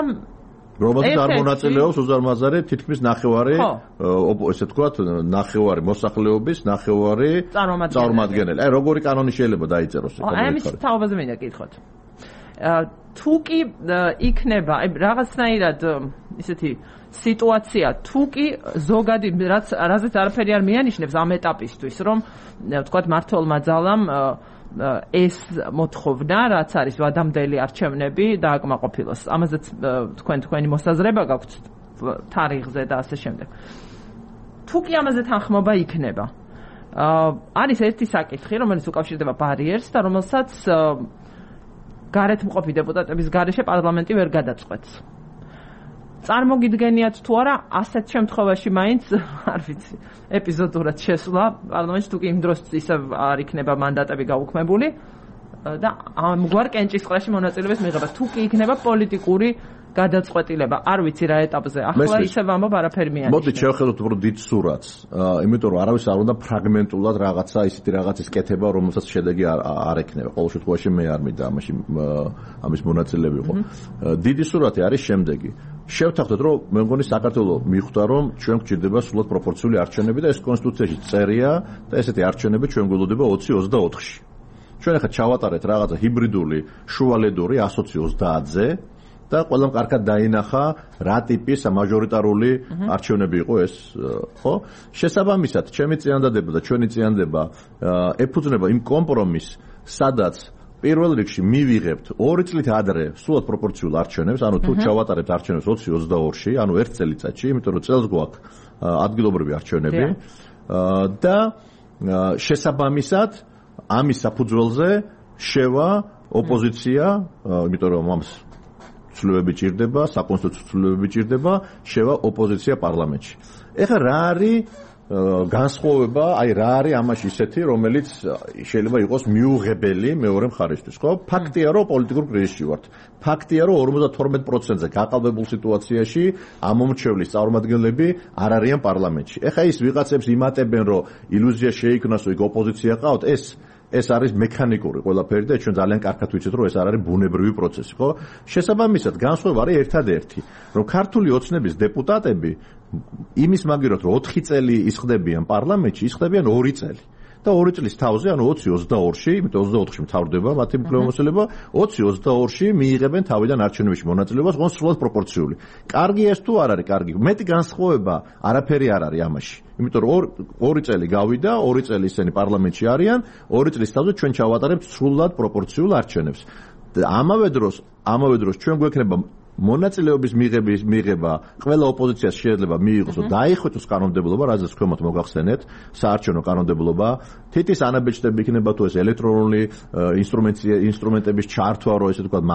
რომელსაც არ მონაწილეობს უზარმაზარი თითქმის ნახევარი ესე ვთქვათ ნახევარი მოსახლეობის ნახევარი წარმომადგენელი აი როგორი კანონი შეიძლება დაიწეროს აი ამის თაობაზე მინდა კითხოთ თუ კი იქნება აი რაღაცნაირად ისეთი სიტუაცია თუ კი ზოგადი რაც რაზეც არაფერი არ მიანიშნებს ამ ეტაპისთვის რომ ვთქვათ მართლმა ძალამ ეს მოთხოვნა რაც არის ვადამდელი არჩევნები დააკმაყოფილოს ამაზეც თქვენ თქვენი მოსაზრება გაქვთ თარიღზე და ასე შემდეგ თუ კი ამაზე თანხმობა იქნება არის ერთი საკითხი რომელიც უკავშირდება ბარიერს და რომელსაც გარეთ მყოფი დეპუტატების გარეშე პარლამენტი ვერ გადაწყვეტს წარმოგიდგენიათ თუ არა ასეთ შემთხვევაში მაინც არ ვიცი ეპიზოდურად შესვლა პარლამენტში თუ კი იმ დროს ისევ არ იქნება მანდატები გაუქმებული და ამგვარ კენჭისყრაში მონაწილეობის მიღება თუ კი იქნება პოლიტიკური გადაწყვეტილება არ ვიცი რა ეტაპზე ახლა ისევ ამბობ არაფერი მიანიშნებს მოდი შევხედოთ უფრო დიდ სურათს იმიტომ რომ არავის არ უნდა ფრაგმენტულად რაღაცა ისეთი რაღაცის კეთება რომელსაც შედეგი არ ექნება ყოველ შემთხვევაში მე არ მინდა ამაში ამის მონაწილე ვიყო დიდი სურათი არის შემდეგი შევთანხმდეთ რომ მე მგონი საქართველოს მიხვდა რომ ჩვენ გვჭირდება სრულად პროპორციული არჩევნები და ეს კონსტიტუციაში წერია და ესეთი არჩევნები ჩვენ გველოდება ოცი ოცდაოთხში ჩვენ ახლა ჩავატარეთ რაღაცა ჰიბრიდული შუალედური ასოცი ოცდაათზე და ყველამ კარგად დაინახა რა ტიპის მაჟორიტარული არჩევნები იყო ეს ხო შესაბამისად ჩემი წინადადება და ჩვენი წინადადება ეფუძნება იმ კომპრომისს სადაც პირველ რიგში მივიღებთ ორი წლით ადრე სრულად პროპორციულ არჩევნებს ანუ თუ ჩავატარებთ არჩევნებს ოცი ოცდაორში ანუ ერთ წელიწადში იმიტომ რომ წელს გვაქვს ადგილობრივი არჩევნები და შესაბამისად ამის საფუძველზე შევა ოპოზიცია იმიტომ რომ ამას ცვლილებები ჭირდება, საკონსტიტუციო ცვლილებები ჭირდება, შევა ოპოზიცია პარლამენტში. ეხლა რა არის განსხვავება, აი რა არის ამაში ისეთი, რომელიც შეიძლება იყოს მიუღებელი მეორე მხარისთვის, ხო? ფაქტია, რომ პოლიტიკურ კრიზისში ვართ. ფაქტია, რომ ორმოცდათორმეტ პროცენტზე გაყალბებულ სიტუაციაში ამომრჩევლის წარმომადგენლები არ არიან პარლამენტში. ეხლა ის ვიღაცებს იმატებენ, რომ ილუზია შეიქმნას, რომ იქ ოპოზიცია ყავთ, ეს ეს არის მექანიკური ყველაფერი და ჩვენ ძალიან კარგად ვიცით რომ ეს არ არის ბუნებრივი პროცესი, ხო? შესაბამისად, განსხვავება არის ერთადერთი, რომ ქართული ოცნების დეპუტატები იმის მაგივრად რომ ოთხი წელი ისხდებიან პარლამენტში, ისხდებიან ორი წელი. და ორი წლის თავზე, ანუ ოცი ოცდაორში, იმიტომ ოცდაოთხში მთავრდება მათი უფლებამოსილება, ოცი ოცდაორში მიიღებენ თავიდან არჩევნებში მონაწილეობას, ყავს სრულად პროპორციული. კარგი ეს თუ არ არის კარგი? მეტი განსხვავება არაფერი არ არის ამაში. იმიტომ რომ ორი წელი გავიდა, ორი წელი ისინი პარლამენტში არიან, ორი წლის თავზე ჩვენ ჩავატარებთ სრულად პროპორციულ არჩევნებს. და ამავე დროს, ამავე დროს ჩვენ გვექნება მონაწილეობის მიღების მიღება ყველა ოპოზიციას შეიძლება მიიღოს და დაიხოცოს კანონმდებლობა, რაზეც ქვემოთ მოგახსენეთ, საარჩევნო კანონმდებლობა, თითის ანაბეჭდები იქნება თუ ეს ელექტრონული ინსტრუმენტების ჩართვა, რომ ესე ვთქვათ,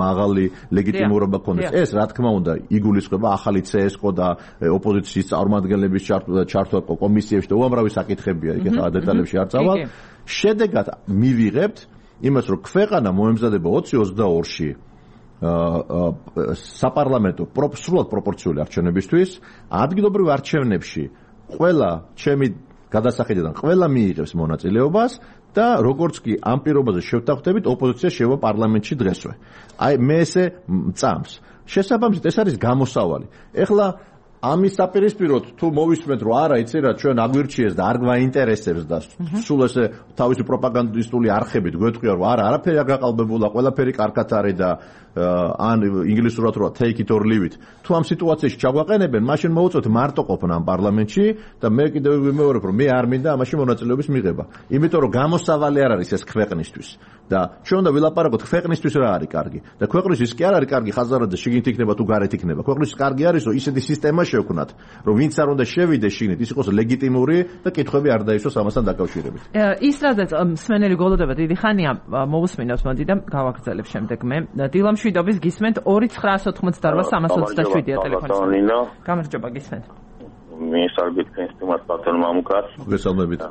მაღალი ლეგიტიმურობა ქონდეს. ეს რა თქმა უნდა იგულისხმება ახალი ცესკო და ოპოზიციის წარმომადგენლების ჩართვა კომისიებში და უამრავი საკითხებია, იქ ახლა დეტალებში არ წავალ. შედეგად მივიღებთ იმას, რომ ქვეყანა მოემზადება ოცი ოცდაორში საპარლამენტო სრულად პროპორციული არჩევნებისთვის ადგილობრივ არჩევნებში ყველა ჩემი გადასახედიდან ყველა მიიღებს მონაწილეობას და როგორც კი ამ პირობაზე შევთანხმდებით ოპოზიცია შევა პარლამენტში დღესვე. აი მე ესე წამს. შესაბამისად ეს არის გამოსავალი. ეხლა ამის საპირისპიროდ თუ მოვისმენთ რომ არა იცი რა ჩვენ აგვირჩიეს და არ გვაინტერესებს და სულ ესე თავისი პროპაგანდისტული არხებით გვეტყვია რომ არა არაფერი არ გაყალბებულა ყველაფერი კარგად არის და ან ინგლისურად რა take it or leave it თუ ამ სიტუაციაში ჩაგვაყენებენ მაშინ მოუწოთ მარტო ყოფნა ამ პარლამენტში და მე კიდევ ვიმეორებ რომ მე არ მინდა ამაში მონაწილეობის მიღება იმიტომ რომ გამოსავალი არ არის ეს ქვეყნისთვის და ჩვენ უნდა ვილაპარაკოთ ქვეყნისთვის რა არის კარგი და ქვეყნისთვის კი არ არის კარგი ხაზარადზე შიგნით იქნება თუ გარეთ იქნება ქვეყნისთვის კარგი არის რომ ისეთი სისტემა შევქნათ რომ ვინც არ უნდა შევიდეს შიგნით ის იყოს ლეგიტიმური და კითხვები არ დაისვას ამასთან დაკავშირებით ის რაზეც მსმენელი გოლოდება დიდი ხანია მოусმინოთ მოდი და გავაგრძელებ შემდეგ მე დილამშვიდობის გისმენთ ორი ცხრაას ოცდაოთხმოცდაორ სამას ოცდაშვიდია ტელეფონი გამარჯობა გისმენთ მე სარგეთ კენსტუმარს ბატონ მამუკას მოგესალმებით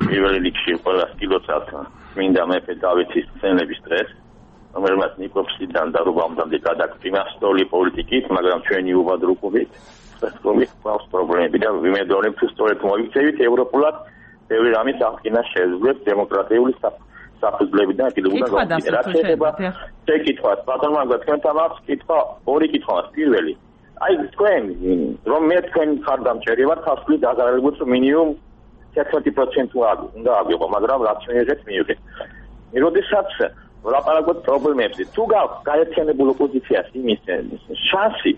პირველ რიგში ყველა სტილოცად მინდა მეფე დავითის სცენების დღეს რომელმაც ნიკოპსიდან და რუბამდე გადაგწინა სტოლი პოლიტიკით მაგრამ ჩვენი უბადრუკობით სწორედ ყავს პრობლემები და ვიმედოვნებ თუ სწორედ მოიქცევით ევროპულად ბევრი რამის აღკინა შეძლებს დემოკრატიული საფუძვლებიდან კიდევ უნდა გავიგეთ რა შეიძლება შეკითხვას ბატონ მაგა თქვენთან აქვს კითხვა ორი კითხვა პირველი აი თქვენ რომ მე თქვენ ხარდამჭერი ვარ ხალხი დაგარებულს მინიმუმ თერთმეტი პროცენტი უნდა ავიღო მაგრამ რაც მიიღეთ მიიღეთ როდესაც ვლაპარაკობთ პრობლემებზე თუ გაქვს გაერთიანებულ ოპოზიციას იმის შანსი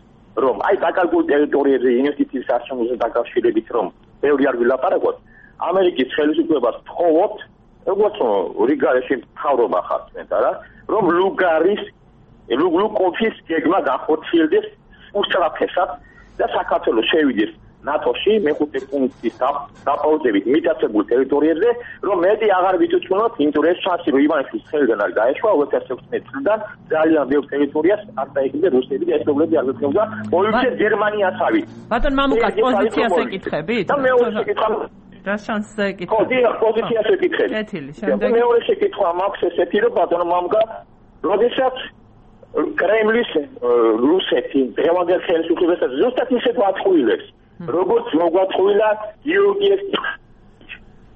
რომ აი დაკარგულ ტერიტორიებზე ინვესტიციის არჩევნებზე დაკავშირებით რომ ბევრი არ ვილაპარაკოთ ამერიკის ხელისუფლებას თხოვოთ როგორც რიგარეში მთავრობა ხართ მე და რა რომ ლუგარის ლუგლუკოფის გეგმა გახორციელდეს უსწრაფესად და საქართველოს შევიდეს ნატოში მეხუთე პუნქტის დაპაუზებით მიტაცებულ ტერიტორიებზე, რომ მეტი აღარ ვიცოცხლოთ, იმიტომ რომ ეს შანსი რომ ივანიშვილის ხელიდან არ გაეშვა ორი ათას ოცდაექვსი წლიდან ძალიან ბევრ ტერიტორიას არ დაიხიბა რუსები და ესპანელები არ გექნება პოლიცია გერმანიასავით. ბატონ მამუკას პოზიციას ეკითხებით? და მეორე შეკითხვა რა შანსზე ეკითხებით? ხო, დიახ, პოზიციას ეკითხებით. კეთილი, შემდეგ მეორე შეკითხვა მაქვს ესეთი, რომ ბატონ მამუკა, როდესაც კრემლის რუსეთი დღევანდელ ხელისუფლებასაც ზუსტად ისეთ ვაწყვილებს, როგორც მოგვაწყვილა გიორგიეს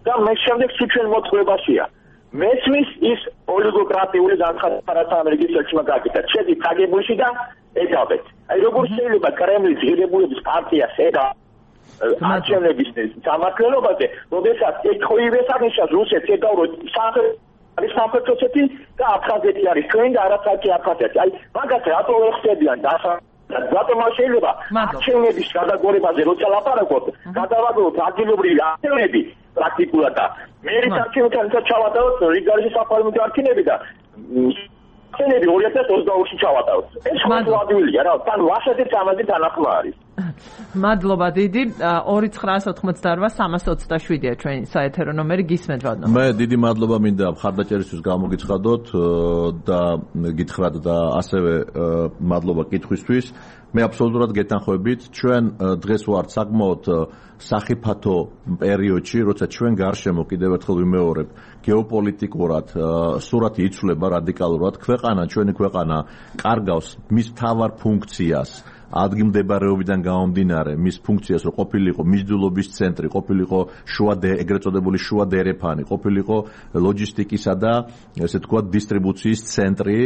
და მე შემდეგ სუჩვენ მოწყლებაშია. მესმის ის ოლიგოკრატიული განცხადება, რაც ამერიკის ელჩმა გაკეთა, შედის კაგებულში და ედავეთ. აი როგორ შეიძლება კრემლის ღირებულების პარტიას ედა არჩევნების სამართლობაზე, როდესაც ეთხოვივეს აღნიშნავს რუსეთს ედავროთ სამხრეთ არის სამხრეთ ოსეთი და აფხაზეთი არის ჩვენ და არაცაკი აფხაზეთი. აი მაგას რატო ვერ ხდებიან და რატომ არ შეიძლება არჩევნების გადაგორებაზე როცა ლაპარაკობთ, გადავაგდოთ ადგილობრივი არჩევნები პრაქტიკულად და მერის არჩევნებთან ჩავატაროთ რიგარის საპარლამენტო არჩევნები და არჩევნები ორი ათას ოცდაორში ჩავატაროთ. ეს ხმადვადვილია რა, თან ვაშეთის ამაზე თანახმა არის. მადლობა დიდი. ორი ცხრაას ოთხმოცდაორვა სამას ოცდაშვიდია ჩვენი საეთერო ნომერი, გისმენთ ბატონო. მე დიდი მადლობა მინდა მხარდაჭერისთვის გამოგიცხადოთ და გითხრათ და ასევე მადლობა კითხვისთვის. მე აბსოლუტურად გეთანხმებით, ჩვენ დღეს ვართ საკმაოდ სახიფათო პერიოდში, როცა ჩვენ გარშემო კიდევ ერთხელ ვიმეორებ, გეოპოლიტიკურად სურათი იცვლება რადიკალურად, ქვეყანა, ჩვენი ქვეყანა კარგავს მის მთავარ ფუნქციას. ადგილმდებარეობიდან გამომდინარე მის ფუნქციას რომ ყოფილიყო მიზიდულობის ცენტრი, ყოფილიყო შუა ეგრეთ წოდებული შუა დერეფანი, ყოფილიყო ლოჯისტიკისა და ესე თქვა დისტრიბუციის ცენტრი,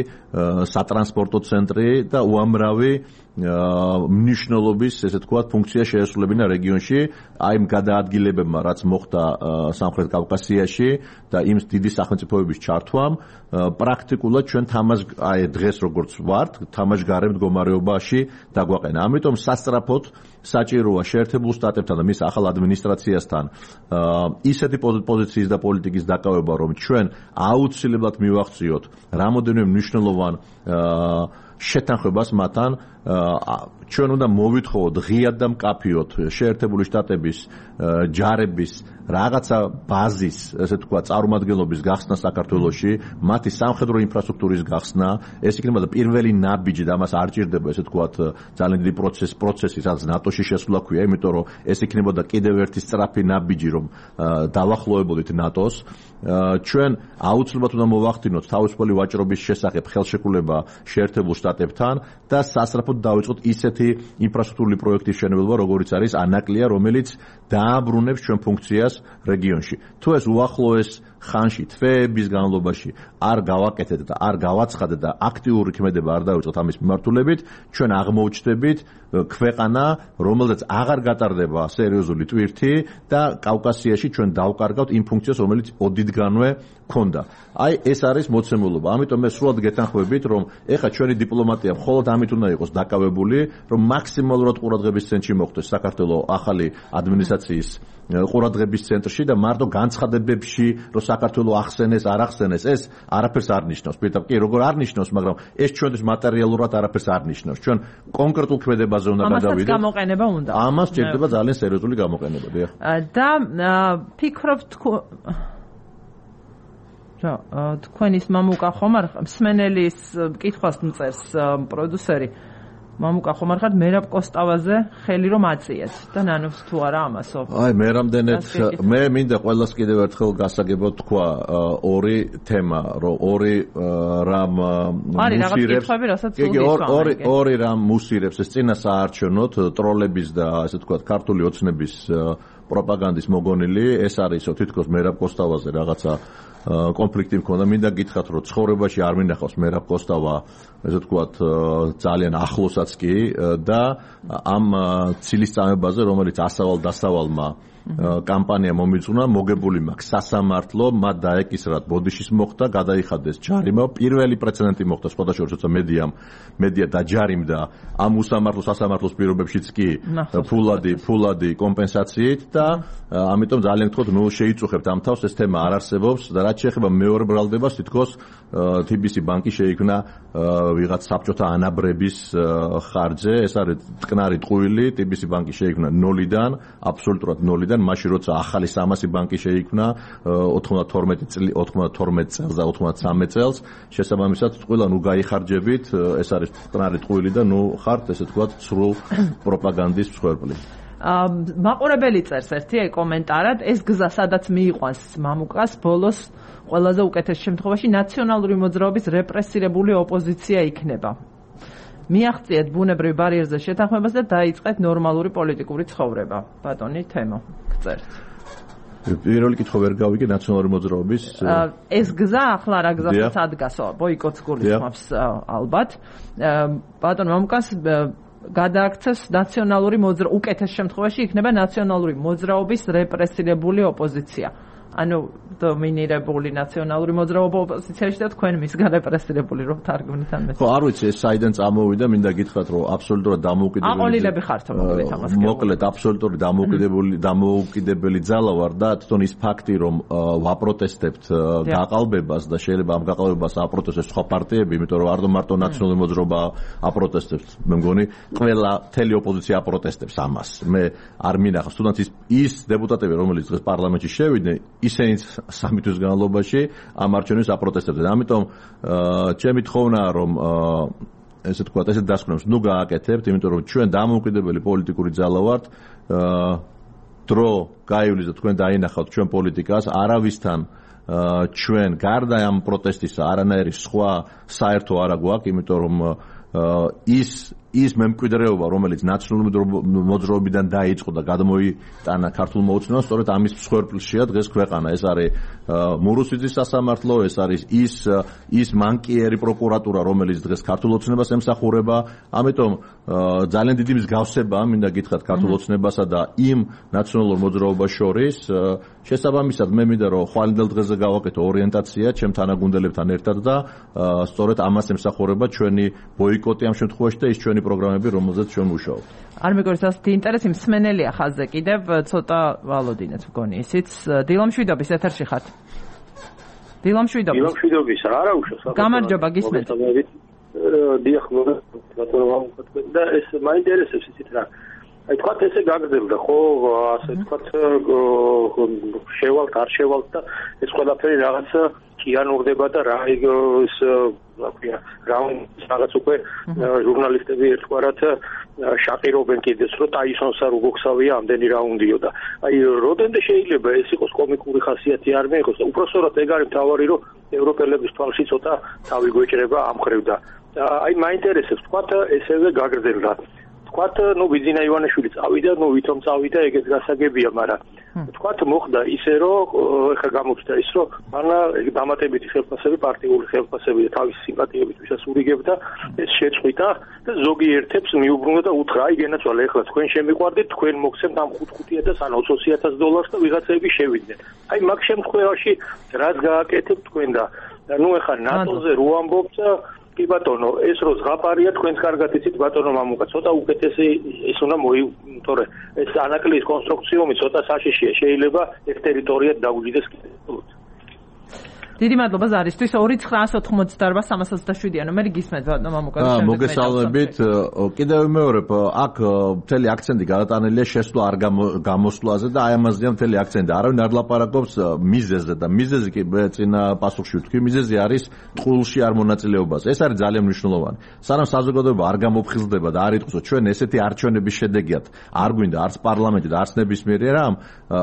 სატრანსპორტო ცენტრი და უამრავი მნიშვნელობის ესე თქვა ფუნქცია შეესრულებინა რეგიონში, აი იმ გადაადგილებებმა, რაც მოხდა სამხრეთ კავკასიაში და იმ დიდი სახელმწიფოების ჩართვამ, პრაქტიკულად ჩვენ თამაშ აი დღეს როგორც ვართ, თამაშგარე მდგომარეობაში დაგვაყენა. ამიტომ სასწრაფოდ საჭიროა შეერთებულ შტატებთან და მის ახალ ადმინისტრაციასთან ისეთი პოზიციის და პოლიტიკის დაკავება, რომ ჩვენ აუცილებლად მივახციოთ რამოდენიმე მნიშვნელოვან შეთანხმებას მათთან, ჩვენ უნდა მოვითხოვოთ ღიად და მკაფიოდ შეერთებული შტატების ჯარების რაღაცა ბაზის, ესე თქვა, წარმომადგენლობის გახსნა საქართველოში, მათი სამხედრო ინფრასტრუქტურის გახსნა, ეს იქნება პირველი ნაბიჯი და ამას არ ჭირდება, ესე თქვა, ძალიან დიდი პროცესი, პროცესი, სადაც ნატოში შესვლა ქვია, იმიტომ რომ ეს იქნებოდა კიდევ ერთი სწრაფი ნაბიჯი, რომ დავახლოვებოდით ნატოს. ჩვენ აუცილებლად უნდა მოვახდინოთ თავისუფალი ვაჭრობის შესახებ ხელშეკრულება შეერთებულ შტატებთან და სასწრაფოდ დავიწყოთ ისეთი ინფრასტრუქტურული პროექტის მშენებლობა, როგორიც არის ანაკლია, რომელიც დააბრუნებს ჩვენ ფუნქციას რეგიონში. თუ ეს უახლოეს ხანში, თვეების განმავლობაში არ გავაკეთეთ და არ გავაცხადეთ და აქტიური ქმედება არ დავიწყოთ ამის მიმართულებით, ჩვენ აღმოუჩნდებით ქვეყანა, რომელზეც აღარ გატარდება სერიოზული ტვირთი და კავკასიაში ჩვენ დავკარგავთ იმ ფუნქციას, რომელიც ოდითგანვე ქონდა. აი ეს არის მოცემულობა. ამიტომ მე სრულად გეთანხმებით, რომ ეხლა ჩვენი დიპლომატია მხოლოდ ამით უნდა იყოს დაკავებული, რომ მაქსიმალურად ყურადღების ცენტრში მოხვდეს საქართველოს ახალი ადმინისტრაციის ყურადღების ცენტრში და მარტო განცხადებებში, რომ საქართველოს ახსენეს, არ ახსენეს, ეს არაფერს არ ნიშნავს. პირდაპირ კი, როგორ არ ნიშნავს, მაგრამ ეს ჩვენთვის მატერიალურად არაფერს არ ნიშნავს. ჩვენ კონკრეტულ ქმედებაზე უნდა გადავიდეთ. ამასაც გამოყენება უნდა. ამას ჭირდება ძალიან სერიოზული გამოყენება, დიახ. და ფიქრობთ რა, თქვენის მამუკა ხომ არ მსმენელის კითხვას მწერს პროდიუსერი. მამუკა ხომ არ ხართ მერაბ კოსტავაზე ხელი რომ აწიეთ და ნანობს თუ არა ამასო. აი მე რამდენად მე მინდა ყველას კიდევ ერთხელ გასაგებად თქვა ორი თემა, რომ ორი რამ მუსირებს. იგი ორი ორი რამ მუსირებს ეს წინა საარჩევნოთ ტროლების და ასე თქვა ქართული ოცნების პროპაგანდის მოგონილი, ეს არის თითქოს მერაბ კოსტავაზე რაღაცა კონფლიქტი მქონდა. მინდა გითხრათ, რომ ცხოვრებაში არ მინახავს მერაბ კოსტავა, ესე ვთქვათ, ძალიან ახლოსაც კი და ამ ცილისწამებაზე, რომელიც ასავალ დასავალმა კამპანია მომიწუნა, მოგებული მაქვს სასამართლო, მათ დაეკისრათ ბოდიშის მოხდა, გადაიხადეს ჯარიმა, პირველი პრეცედენტი მოხდა სხვადასხვა როცა მედიამ მედია დაჯარიმდა ამ უსამართლო სასამართლოს პირობებშიც კი ფულადი ფულადი კომპენსაციით და ამიტომ ძალიან გთხოვთ, ნუ შეიწუხებთ ამ თავს, ეს თემა არ არსებობს და რაც შეეხება მეორე ბრალდებას, თითქოს თი ბი სი ბანკი შეიქმნა ვიღაც საბჭოთა ანაბრების ხარჯზე, ეს არის ტკნარი ტყუილი, თი ბი სი ბანკი შეიქმნა ნოლიდან, აბსოლუტურად ნოლიდან, მაშინ როცა ახალი სამასი ბანკი შეიქმნა ოთხმოცდათორმეტი წელს და ოცდამეცხრამეტ წელს, შესაბამისად ყველა ნუ გაიხარჯებით, ეს არის ტკნარი ტყუილი და ნუ ხართ ესე თქვა სრულ პროპაგანდის მსხვერპლი. მაყურებელი წერს ერთი კომენტარად, ეს გზა სადაც მიიყვანს მამუკას, ბოლოს ყველაზე უკეთეს შემთხვევაში ნაციონალური მოძრაობის რეპრესირებული ოპოზიცია იქნება. მიაღწიეთ ბუნებრივ ბარიერზე შეთანხმებას და დაიწყეთ ნორმალური პოლიტიკური ცხოვრება. ბატონი თემო, გწერთ. პირველი კითხვა ვერ გავიგე ნაციონალური მოძრაობის ეს გზა ახლა რა გზასაც ადგასო, ბოიკოტს გულისხმობს ალბათ. ბატონ მამუკას გადააქცევს ნაციონალური მოძრაობა, უკეთეს შემთხვევაში იქნება ნაციონალური მოძრაობის რეპრესირებული ოპოზიცია. ანუ დომინირებული ნაციონალური მოძრაობა ოპოზიციაში და თქვენ მისგან რეპრესირებული რომ თარგმნით ამ ეს. ხო, არ ვიცი ეს საიდან წამოვიდა, მინდა გითხრათ რომ აბსოლუტურად დამოუკიდებელი აყოლილები ხართ მოკლედ ამას. მოკლედ აბსოლუტურად დამოუკიდებელი დამოუკიდებელი ძალა ვარ და თვითონ ის ფაქტი რომ ვაპროტესტებთ გაყალბებას და შეიძლება ამ გაყალბებას აპროტესტებს სხვა პარტიები, იმიტომ რომ არ მარტო ნაციონალური მოძრაობა აპროტესტებს, მე მგონი ყველა მთელი ოპოზიცია აპროტესტებს ამას. მე არ მინახავს თუნდაც ის ის დეპუტატები რომელიც დღეს პარლამენტში შევიდნენ ისინიც სამი თვის განმავლობაში ამ არჩევნებს აპროტესტებდნენ. ამიტომ ჩემი თხოვნაა რომ ესე თქვა ესე დასკვნებს ნუ გააკეთებთ, იმიტომ რომ ჩვენ დამოუკიდებელი პოლიტიკური ძალა ვართ. დრო გაივლის და თქვენ დაინახავთ ჩვენ პოლიტიკას, არავისთან ჩვენ გარდა ამ პროტესტისა არანაირი სხვა საერთო არ აგვაქვს, იმიტომ რომ ის ის მემკვიდრეობა, რომელიც ნაციონალური მოძრაობიდან დაიწყო და გადმოიტანა ქართულ მოუწნევას, სწორედ ამის მსხვერპლშია დღეს ქვეყანა. ეს არის მურუსიძის სასამართლო, ეს არის ის ის მანკიერი პროკურატურა, რომელიც დღეს ქართულ ოცნებას ემსახურება. ამიტომ ძალიან დიდი მსგავსებაა, მინდა გითხრათ, ქართულ ოცნებასა და იმ ნაციონალურ მოძრაობას შორის. შესაბამისად, მე მინდა რომ ხვალინდელ დღეზე გავაკეთო ორიენტაცია ჩემ თანაგუნდელებთან ერთად და სწორედ ამას ემსახურება ჩვენი ბოიკოტი ამ შემთხვევაში და ის ჩვენი პროგრამები, რომელზეც ჩვენ ვმუშაობთ. არ მეგოnis ასეთი ინტერესი მსმენელია ხაზზე კიდევ ცოტა ვალოდინეთ მგონი ისიც. დილამშვიდობის ეთერში ხართ. დილამშვიდობის. დილამშვიდობის რა არა უშავს. გამარჯობა, გისმენთ. დიახ, მოგესალმებით და ეს მაინტერესებს ისიც რა. აი თქვა ესე გაგრძელდა ხო, ასე თქვა შევალთ, არ შევალთ და ეს ყველაფერი რაღაცა კიანურდება და რა ის რა ქვია, რაღაც უკვე ჟურნალისტები ერთგვარად შაყირობენ კიდეც რომ ტაისონს არ უგოქსავია ამდენი რაუნდიო და აი როდენდე შეიძლება ეს იყოს კომიკური ხასიათი არ მეიღოს და უпроსტოდ ეგ არის მთავარი რომ ევროპელების თვალში ცოტა თავი გვეჭრება ამ ხრივ და აი მაინტერესებს თქვა ესევე გაგრძელდა თქვათ, ნუ ბიძინა ივანიშვილი წავიდა, ნუ ვითომ წავიდა, ეგეც გასაგებია, მაგრამ თქვათ მოხდა ისე, რომ ეხა გამოჩნდა ის, რომ მანა დამატებითი ხელფასები, პარტიული ხელფასები და თავისი სიმპათიებით ვისაც ურიგებდა, ეს შეწყვიტა და ზოგიერთებს მიუბრუნდა და უთხრა, აი გენაცვალე, ეხლა თქვენ შემიყვარდით, თქვენ მოგცემთ ამ ხუთმოცდაათას ან ოცი ათას დოლარს და ვიღაცები შევიდნენ. აი მაგ შემთხვევაში რაც გააკეთებთ თქვენ და ნუ ეხა ნატოზე რო ამბობთ კი ბატონო, ეს რო ზღაპარია თქვენს კარგად იცით ბატონო მამუკა, ცოტა უკეთესი ის უნდა მოი, თორე ეს ანაკლის კონსტრუქციომი ცოტა საშიშია, შეიძლება ეს ტერიტორია დაუჯდეს კიდევ. დიდი მადლობა ზარისთვის. ორი ცხრაას ოთხმოცდაარბა სამას ოცდაშვიდი ანუ მე გისმენთ ბატონო მამუკა. მოგესალმებით. კიდევ ვიმეორებ, აქ მთელი აქცენტი გადატანილია შესვლა არ გამოსვლაზე და აი ამაზეა მთელი აქცენტი. არავინ არ ლაპარაკობს მიზეზზე და მიზეზი კი წინა პასუხში ვთქვი, მიზეზი არის ტყულში არ მონაწილეობაზე. ეს არის ძალიან მნიშვნელოვანი. სანამ საზოგადოება არ გამოფხიზლდება და არ იტყვის, ჩვენ ესეთი არჩევნების შედეგიათ არ გვინდა არც პარლამენტი და არც ნებისმიერი რამ,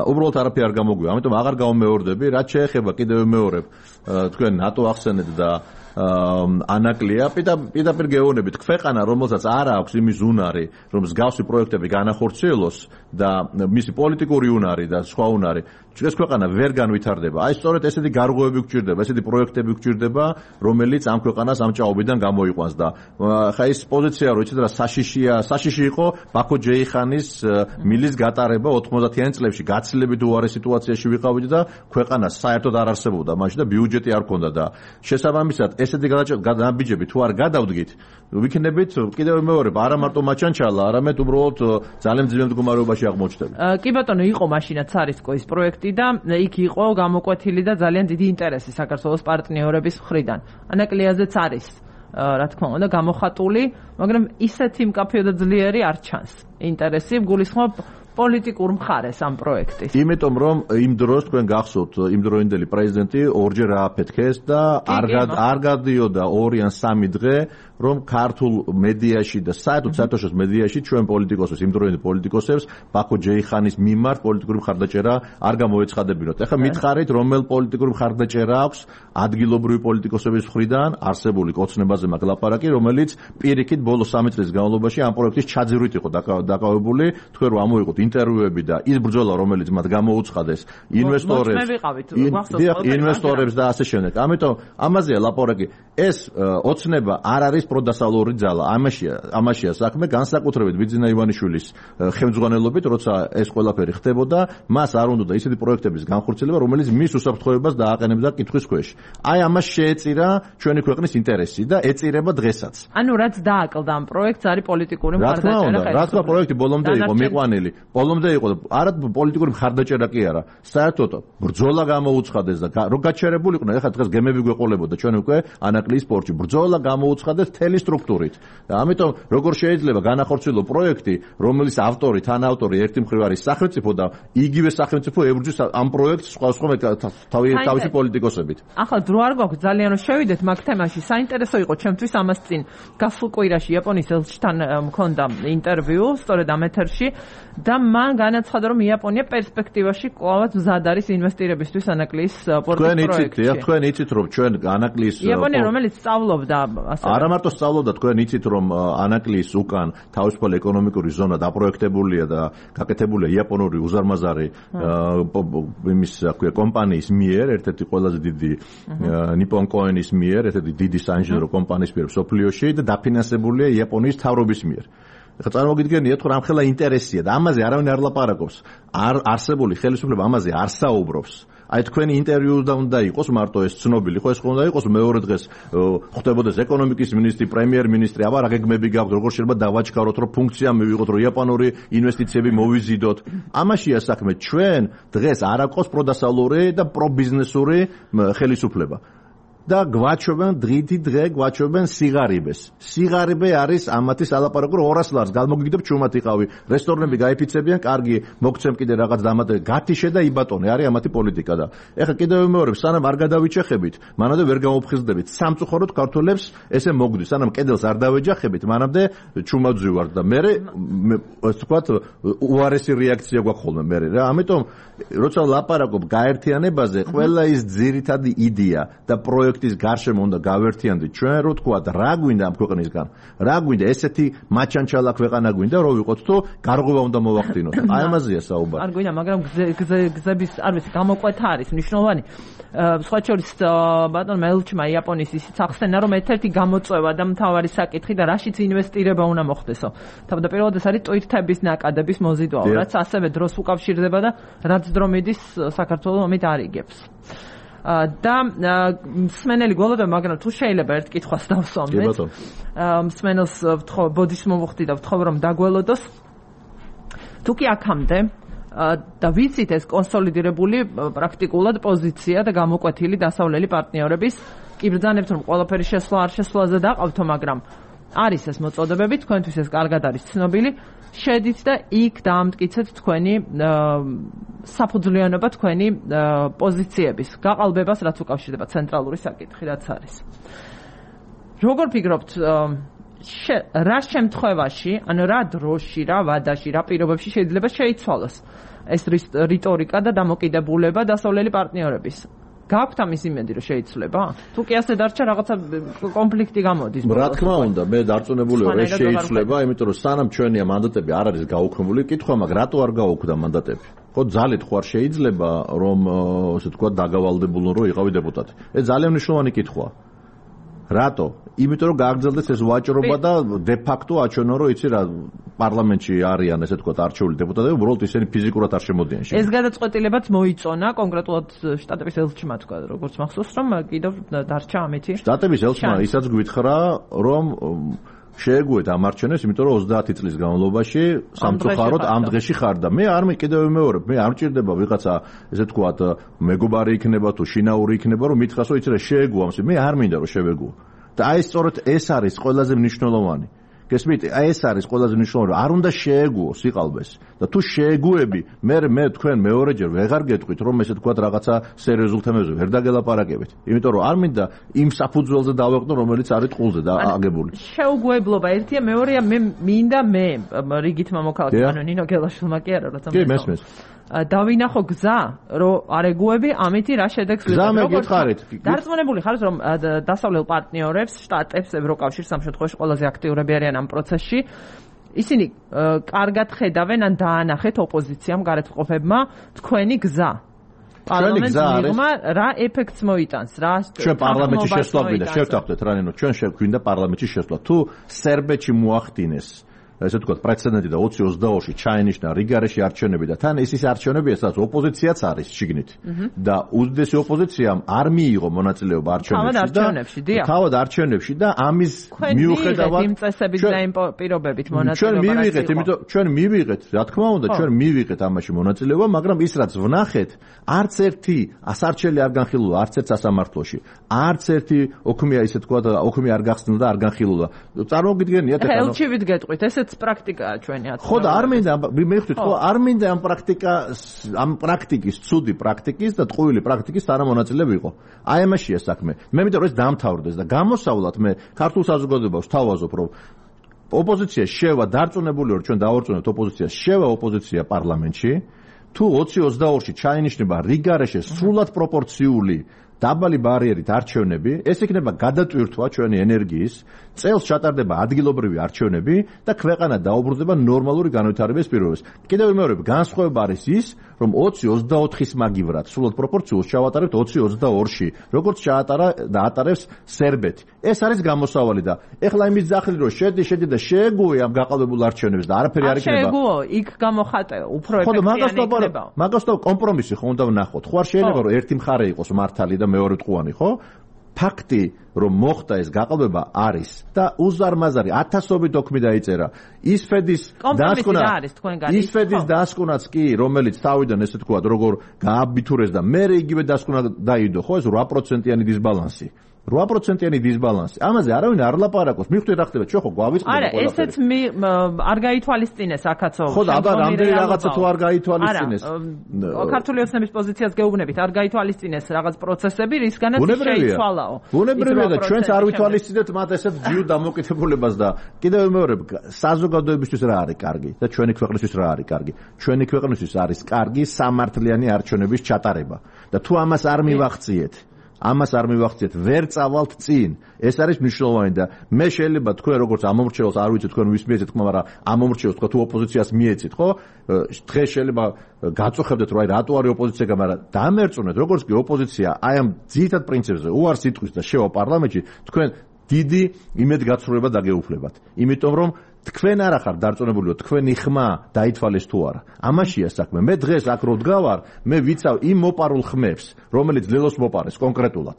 უბრალოდ არაფერი არ გამოგვია. ამიტომ აღარ გავმეორდები, რაც შეეხება კიდევ ვიმეორებ თქვენ ნატო ახსენეთ და ანაკლია პირდაპირ გეუბნებით ქვეყანა რომელსაც არ აქვს იმის უნარი რომ მსგავსი პროექტები განახორციელოს და მისი პოლიტიკური უნარი და სხვა უნარი ეს ქვეყანა ვერ განვითარდება. აი სწორედ ესეთი გარღვევები გვჭირდება, ესეთი პროექტები გვჭირდება, რომელიც ამ ქვეყანას ამ ჭაობიდან გამოიყვანს და ხა ის პოზიცია რო იცით რა საშიშია, საშიში იყო ბაქო ჯეიხანის მილის გატარება ოთხმოცდაათიან წლებში გაცილებით უარე სიტუაციაში ვიყავით და ქვეყანა საერთოდ არ არსებობდა მაშინ და ბიუჯეტი არ ქონდა და შესაბამისად ესეთი გადაბიჯები თუ არ გადავდგით ვიქნებით კიდევ მეორე არა მარტო მაჩანჩალა, არამედ უბრალოდ ძალიან ძლიერ მდგომარეობაში აღმოჩნდებით. კი ბატონო, იყო მაშინაც არისკო ის პროექტი და იქ იყო გამოკვეთილი და ძალიან დიდი ინტერესი საქართველოს პარტნიორების მხრიდან. ანაკლიაზეც არის რა თქმა უნდა გამოხატული, მაგრამ ისეთი მკაფიო და ძლიერი არ ჩანს. ინტერესი გულისხმობ პოლიტიკურ მხარეს ამ პროექტის. იმიტომ რომ იმ დროს თქვენ გახსოვთ იმ დროინდელი პრეზიდენტი ორჯერ ააფეთქეს და არ არ გადიოდა ორი ან სამი დღე რომ ქართულ მედიაში და საერთოდ საერთაშორისო მედიაში ჩვენ პოლიტიკოსებს იმ დროინდელ პოლიტიკოსებს ბაქო ჯეიხანის მიმართ პოლიტიკური მხარდაჭერა არ გამოეცხადებინოთ. ეხლა მითხარით რომელ პოლიტიკური მხარდაჭერა აქვს ადგილობრივი პოლიტიკოსების მხრიდან არსებული კოცნებაზე მაგ ლაპარაკი, რომელიც პირიქით ბოლო სამი წლის განმავლობაში ამ პროექტის ჩაძირვით იყო დაკავებული. თქვენ რომ ამოიყოთ ინტერვიუები და ის ბრძოლა რომელიც მათ გამოუცხადეს ინვესტორებს ინვესტორებს და ასე შემდეგ. ამიტომ ამაზეა ლაპარაკი. ეს ოცნება არ არის პროდასალური ძალა. ამაშია ამაშია საქმე განსაკუთრებით ბიძინა ივანიშვილის ხელმძღვანელობით, როცა ეს ყველაფერი ხდებოდა, მას არ უნდა ისეთი პროექტების განხორციელება, რომელიც მის უსაფრთხოებას დააყენებდა კითხვის ქვეშ. აი ამას შეეწირა ჩვენი ქვეყნის ინტერესი და ეწირება დღესაც. ანუ რაც დააკლდა ამ პროექტს არის პოლიტიკური მხარდაჭერა. რა თქმა უნდა, პროექტი ბოლომდე იყო მიყვანილი. ბოლომდე იყო არა პოლიტიკური მხარდაჭერა კი არა. საერთოდ ბრძოლა გამოუცხადეს და რო გაჩერებულიყვნენ, ეხლა დღეს გემები გვეყოლებოდა ჩვენ უკვე ანაკლის სპორტში. ბრძოლა გამოუცხადეს თელი სტრუქტურით. და ამიტომ როგორ შეიძლება განახორციელო პროექტი, რომელიც ავტორი, თანაავტორი ერთი მხრივ არის სახელმწიფო და იგივე სახელმწიფო ებრძვის ამ პროექტს სხვა სხვა თავი თავისი პოლიტიკოსებით. ახლა დრო არ გვაქვს ძალიან რომ შევიდეთ მაგ თემაში. საინტერესო იყო ჩემთვის ამას წინ გასულ კვირაში იაპონიის ელჩთან მქონდა ინტერვიუ სწორედ ამ ეთერში და მან განაცხადა რომ იაპონია პერსპექტივაში კვლავაც მზად არის ინვესტირებისთვის ანაკლის პორტის პროექტში. თქვენ იცით, თქვენ იცით რომ ჩვენ ანაკლის იაპონია რომელიც სწავლობდა ასე არა მარტო სწავლობდა, თქვენ იცით რომ ანაკლის უკან თავისუფალი ეკონომიკური ზონა დაპროექტებულია და გაკეთებულია იაპონური უზარმაზარი იმის აქვე კომპანიის მიერ, ერთ-ერთი ყველაზე დიდი ნიპონ კოენის მიერ, ერთ-ერთი დიდი საინჟინრო კომპანიის მიერ სოფლიოში და დაფინანსებულია იაპონიის მთავრობის მიერ. ეხლა წარმოგიდგენიათ რომ ამხელა ინტერესია და ამაზე არავინ არ ლაპარაკობს. არ არსებული ხელისუფლება ამაზე არ საუბრობს. აი თქვენი ინტერვიუ უნდა იყოს მარტო ეს ცნობილი, ხო ეს უნდა იყოს მეორე დღეს ხდებოდეს ეკონომიკის მინისტრი, პრემიერ-მინისტრი, აბა რა გეგმები გაქვთ, როგორ შეიძლება დავაჩქაროთ, რომ ფუნქცია მივიღოთ, რომ იაპონური ინვესტიციები მოვიზიდოთ. ამაშია საქმე, ჩვენ დღეს არ აქვს პროდასალური და პრობიზნესური ხელისუფლება. და გვაჩვენებენ დღითი დღე გვაჩვენებენ სიგარიბეს. სიგარიბე არის ამათი სალაპარაკო ორას ლარს გამოგიგდებ ჩუმად იყავი. რესტორნები გაიფიცებიან, კარგი, მოგცემ კიდე რაღაც დამატე, გათიშე და იბატონე, არის ამათი პოლიტიკა და ეხლა კიდევ მეორე, სანამ არ გადავიჭეხებით, მანამდე ვერ გამოფხიზდებით. სამწუხაროდ ქართველებს ესე მოგდის, სანამ კედელს არ დავეჯახებით, მანამდე ჩუმად ვზივართ და მე ასე ვთქვათ, უარესი რეაქცია გვაქვს ხოლმე მე რა. ამიტომ როცა ლაპარაკობ გაერთიანებაზე, ყველა ის ძირითადი იდეა და პროექტი ის გარშემო უნდა გავერთიანდით ჩვენ რო თქვა რა გვინდა ამ ქვეყნისგან რა გვინდა ესეთი მაჩანჩალა ქვეყანა გვინდა რო ვიყოთ თუ გარღვევა უნდა მოვახდინოთ აი ამაზეა საუბარი არ გვინდა მაგრამ გზების არ ვიცი გამოყვეთა არის მნიშვნელოვანი სხვა შორის ბატონმა ელჩმა იაპონიის ისიც ახსენა რომ ერთ-ერთი გამოწვევა და მთავარი საკითხი და რაშიც ინვესტირება უნდა მოხდესო თავდაპირველად ეს არის ტვირთების ნაკადების მოზიდვა რაც ასევე დროს უკავშირდება და რაც დრო მიდის საქართველოს ომით არიგებს და მსმენელი გველოდა, მაგრამ თუ შეიძლება ერთ კითხვას დავსვამდეთ. მსმენელს ვთხოვ, ბოდიშს მოვუხდი და ვთხოვ რომ დაგველოდოს. თუ კი აქამდე და ვიცით ეს კონსოლიდირებული პრაქტიკულად პოზიცია და გამოკვეთილი დასავლელი პარტნიორების კი ბრძანებთ რომ ყველაფერი შესვლა არ შესვლაზე დაყავთო, მაგრამ არის ეს მოწოდებები, თქვენთვის ეს კარგად არის ცნობილი. შედით და იქ დაამტკიცეთ თქვენი საფუძვლიანობა, თქვენი პოზიციების გაყალბებას, რაც უკავშირდება ცენტრალური საკითხი, რაც არის. როგორ ფიქრობთ, რა შემთხვევაში, ანუ რა დროში, რა ვადაში, რა პირობებში შეიძლება შეიცვალოს ეს რიტორიკა და დამოკიდებულება დასავლელი პარტნიორების? გაქვთ ამის იმედი რომ შეიცვლება? თუ კი ასე დარჩა რაღაცა კონფლიქტი გამოდის. რა თქმა უნდა, მე დარწმუნებული ვარ, ეს შეიცვლება, იმიტომ რომ სანამ ჩვენია მანდატები არ არის გაუქმებული, კითხვა მაქვს, რატო არ გაუქმდა მანდატები? ხო ძალით ხო არ შეიძლება რომ ასე ვთქვათ დაგავალდებულონ რომ იყავი დეპუტატი. ეს ძალიან მნიშვნელოვანი კითხვაა. რატო? იმიტომ რომ გააგრძელდეს ეს ვაჭრობა და დე ფაქტო აჩვენო რომ იცი რა პარლამენტში არიან ესე ვთქვათ არჩეული დეპუტატები, უბრალოდ ისინი ფიზიკურად არ შემოდიან შენ. ეს გადაწყვეტილებაც მოიწონა კონკრეტულად შტატების ელჩმა თქვა, როგორც მახსოვს რომ კიდევ დარჩა ამეთი. შტატების ელჩმა ისაც გვითხრა რომ შეეგუეთ ამ არჩევნებს, იმიტომ რომ ოცდაათი წლის განმავლობაში სამწუხაროდ ამ დღეში ხარ და მე არ მეკიდევ ვიმეორებ, მე არ მჭირდება ვიღაცა ესე ვთქვათ მეგობარი იქნება თუ შინაური იქნება რომ მითხას რომ იცი რა შეეგუო ამს, მე არ მინდა რომ შევეგუო. და აი სწორედ ეს არის ყველაზე მნიშვნელოვანი. გესმით, აი ეს არის ყველაზე მნიშვნელოვანი. არ უნდა შეეგუო სიყალბეს და თუ შეეგუები, მე მე თქვენ მეორეჯერ ვეღარ გეტყვით რომ ესე თქვათ რაღაცა სერიოზულ თემებზე ვერ დაგელაპარაკებით. იმიტომ რომ არ მინდა იმ საფუძველზე დავეყნო, რომელიც არის ტყულზე და აგებული. შეუგუებლობა ერთია, მეორეა მე მინდა მე რიგით მამოქალაქე ანუ ნინო გელაშვილმა კი არა რა თქმა უნდა. კი მესმის. დავინახო გზა, რომ არეგუები ამითი რა შედეგს ვიღებთ. დარწმუნებული ხარ, რომ დასავლელ პარტნიორებს, შტატებს, ევროკავშირს ამ შემთხვევაში ყველაზე აქტიურები არიან ამ პროცესში. ისინი კარგად ხედავენ ან დაანახეთ ოპოზიციამ, გარეთმყოფებმა თქვენი გზა. პარლამენტს მიღმა რა ეფექტს მოიტანს, რა ჩვენ პარლამენტში შესვლა გვინდა, შევთანხმდეთ რა ნინო, ჩვენ შეგვინდა პარლამენტში შესვლა. თუ სერბეთში მოახდინეს ესე ვთქვათ პრეცედენტი და ოცი ოცდაორში ჩაენიშნა რიგარეში არჩევნები და თან ეს ის არჩევნებია, სადაც ოპოზიციაც არის შიგნით და უდიდესი ოპოზიციამ არ მიიღო მონაწილეობა არჩევნებში და თავად არჩევნებში და ამის მიუხედავად იმ წესების და იმ პირობებით მონაწილეობა ჩვენ მივიღეთ, იმიტომ ჩვენ მივიღეთ, რა თქმა უნდა, ჩვენ მივიღეთ ამაში მონაწილეობა, მაგრამ ის რაც ვნახეთ, არც ერთი ასარჩელი არ განხილულა, არც ერთ სასამართლოში, არც ერთი ოქმია ისე ვთქვათ, ოქმი არ გახსნა და არ განხილულა. წარმოგიდგენიათ ეხლა ელჩივით გეტყვით, ესეც პრაქტიკაა ჩვენი ათი. ხო და არ მინდა მე ხვდით ხო არ მინდა ამ პრაქტიკა ამ პრაქტიკის ცუდი პრაქტიკის და ტყუილი პრაქტიკის თანამონაწილე ვიყო. აი ამაშია საქმე. მე მინდა რომ ეს დამთავრდეს და გამოსავლად მე ქართულ საზოგადოებას ვთავაზობ რომ ოპოზიცია შევა დარწმუნებული ვარ ჩვენ დავარწმუნებთ ოპოზიციას შევა ოპოზიცია პარლამენტში თუ ოცი ოცდაორში ჩაინიშნება რიგარეშე სრულად პროპორციული დაბალი ბარიერით არჩევნები, ეს იქნება გადატვირთვა ჩვენი ენერგიის, წელს ჩატარდება ადგილობრივი არჩევნები და ქვეყანა დაუბრუნდება ნორმალური განვითარების პირობებს. კიდევ ვიმეორებ, განსხვავება არის ის, რომ ოცი ოცდაოთხის მაგივრად სრულად პროპორციულს ჩავატარებთ ოცი ოცდაორში, როგორც ჩაატარა და ატარებს სერბეთი. ეს არის გამოსავალი და ეხლა იმის ძახილი რომ შედი შედი და შეეგუე ამ გაყალბებულ არჩევნებს და არაფერი არ იქნება. შეეგუო, იქ გამოხატე, უფრო ეფექტიანი იქნება. მაგას და კომპრომისი ხო უნდა ვნახოთ. ხო არ შეიძლება რომ ერთი მხარე იყოს მართალი და მეორე ტყუანი, ხო? ფაქტი რომ მოხდა ეს გაყალბება არის და უზარმაზარი ათასობით ოქმი დაიწერა. ისფედის დასკვნა ისფედის დასკვნაც კი, რომელიც თავიდან ესე თქვა, როგორ გააბიტურეს და მე იგივე დასკვნა დაიდო, ხო, ეს რვა პროცენტიანი დისბალანსი. რვა პროცენტიანი დისბალანსი. ამაზე არავინ არ ლაპარაკობს. მიხვდეთ რა ხდება, ჩვენ ხო გვავიწყდება ყველაფერი. არა, ესეც არ გაითვალისწინეს აქაცო. ხო და აბა რამდენი რაღაცა თუ არ გაითვალისწინეს. ქართული ოცნების პოზიციას გეუბნებით, არ გაითვალისწინეს რაღაც პროცესები, რისგანაც შეიცვალაო. ბუნებრივია და ჩვენც არ ვითვალისწინებთ მათ ესეთ ჯიუტ დამოკიდებულებას და კიდევ ვიმეორებ, საზოგადოებისთვის რა არის კარგი და ჩვენი ქვეყნისთვის რა არის კარგი. ჩვენი ქვეყნისთვის არის კარგი სამართლიანი არჩევნების ჩატარება. და თუ ამას არ მივახციეთ ამას არ მივახციეთ, ვერ წავალთ წინ. ეს არის მნიშვნელოვანი და მე შეიძლება თქვენ როგორც ამომრჩეველს არ ვიცი თქვენ ვის მიეცეთ თქმა, მაგრამ ამომრჩეველს თქვა თუ ოპოზიციას მიეცით, ხო? დღეს შეიძლება გაწუხებდეთ რომ აი რატო არის ოპოზიცია, მაგრამ დამერწუნეთ, როგორც კი ოპოზიცია აი ამ ძირითად პრინციპებზე უარს იტყვის და შევა პარლამენტში, თქვენ დიდი იმედგაცრუება დაგეუფლებათ. იმიტომ რომ თქვენ არ ახარ დარწმუნებული, თქვენი ხმა დაითვალეს თუ არა. ამაშია საქმე. მე დღეს აქ რო დგავარ, მე ვიცავ იმ მოპარულ ხმებს, რომელიც ლელოს მოპარეს კონკრეტულად.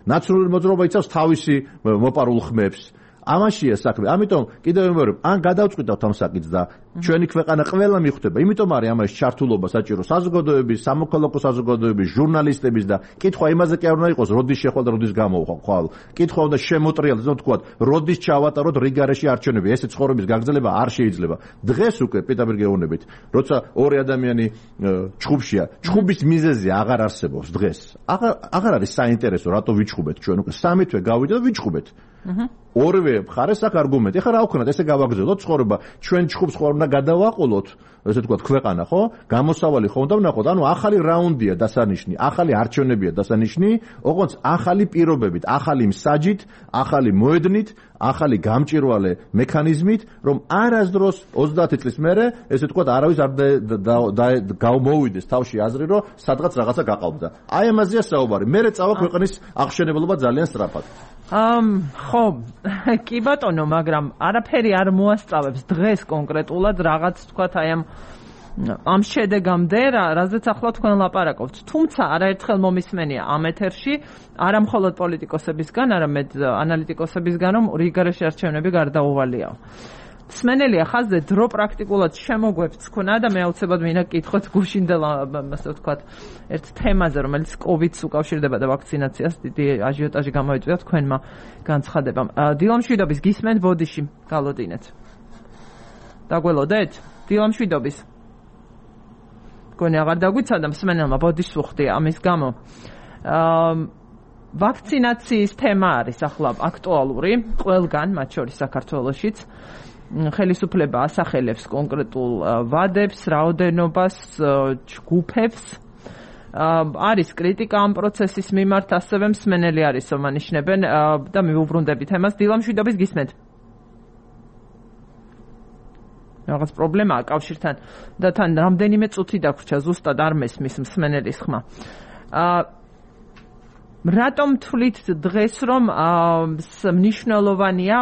ნაცრული მოძრაობა იცავს თავისი მოპარულ ხმებს. ამაშია საქმე. ამიტომ კიდევ ვიმეორებ, ან გადავწყვიტავთ ამ საკითხს და ჩვენი ქვეყანა ყველა მიხვდება. იმიტომ არის ამაში ჩართულობა საჭირო საზოგადოების, სამოქალაქო საზოგადოების, ჟურნალისტების და კითხვა იმაზე კი არ უნდა იყოს, როდის შეხვალ და როდის გამოვხვალ. კითხვა უნდა შემოტრიალდეს, რომ თქვა, როდის ჩავატაროთ რიგარეში არჩევნები. ესე ცხოვრების გაგრძელება არ შეიძლება. დღეს უკვე პიტერ გეუბნებით, როცა ორი ადამიანი ჩხუბშია, ჩხუბის მიზეზი აღარ არსებობს დღეს. აღარ აღარ არის საინტერესო, რატო ვიჩხუბეთ ჩვენ უკვე სამი თვე გავიდა და ვიჩხუბეთ. ორივე მხარეს აქვს არგუმენტი. ეხლა რა ვქნათ, ესე გავაგრძელოთ ცხოვრება, ჩვენ ჩხუბს ხო არ უნდა გადავაყოლოთ, ესე თქვა ქვეყანა, ხო? გამოსავალი ხო უნდა ვნახოთ, ანუ ახალი რაუნდია დასანიშნი, ახალი არჩევნებია დასანიშნი, ოღონდ ახალი პირობებით, ახალი მსაჯით, ახალი მოედნით, ახალი გამჭირვალე მექანიზმით, რომ არასდროს ოცდაათი წლის მერე, ესე თქვა, არავის არ გამოვიდეს თავში აზრი, რომ სადღაც რაღაცა გაყავდა. აი ამაზეა საუბარი. მერე წავა ქვეყნის აღშენებელობა ძალიან სწრაფად. ამ ხო, კი ბატონო, მაგრამ არაფერი არ მოასწავებს დღეს კონკრეტულად რაღაც თქვათ აი ამ ამ შედეგამდე, რაზეც ახლა თქვენ ლაპარაკობთ. თუმცა არაერთხელ მომისმენია ამ ეთერში, არა მხოლოდ პოლიტიკოსებისგან, არამედ ანალიტიკოსებისგან, რომ რიგარეშე არჩევნები გარდაუვალია. სმენელია ხაზზე დრო პრაქტიკულად შემოგვეფს ქონა და მე აუცილებლად მინდა კითხოთ გუშინდელ ასე ვთქვათ ერთ თემაზე, რომელიც კოვიდს უკავშირდება და ვაქცინაციას დიდი აჟიოტაჟი გამოიწვია თქვენმა განცხადებამ. დილამშვიდობის გისმენთ ბოდიში გალოდინეთ. დაგველოდეთ? დილამშვიდობის. გონი აღარ დაგვიცადა მსმენელმა ბოდიშს უხდია ამის გამო. აა ვაქცინაციის თემა არის ახლა აქტუალური ყველგან, მათ შორის საქართველოშიც. ხელისუფლება ასახელებს კონკრეტულ ვადებს, რაოდენობას, ჯგუფებს. არის კრიტიკა ამ პროცესის მიმართ, ასევე მსმენელი არის, რომ ანიშნებენ და მივუბრუნდებით თემას. დილამშვიდობის გისმენთ. რაღაც პრობლემაა კავშირთან და თან რამდენიმე წუთი დაგვრჩა, ზუსტად არ მესმის მსმენელის ხმა. რატომ თვლით დღეს, რომ მნიშვნელოვანია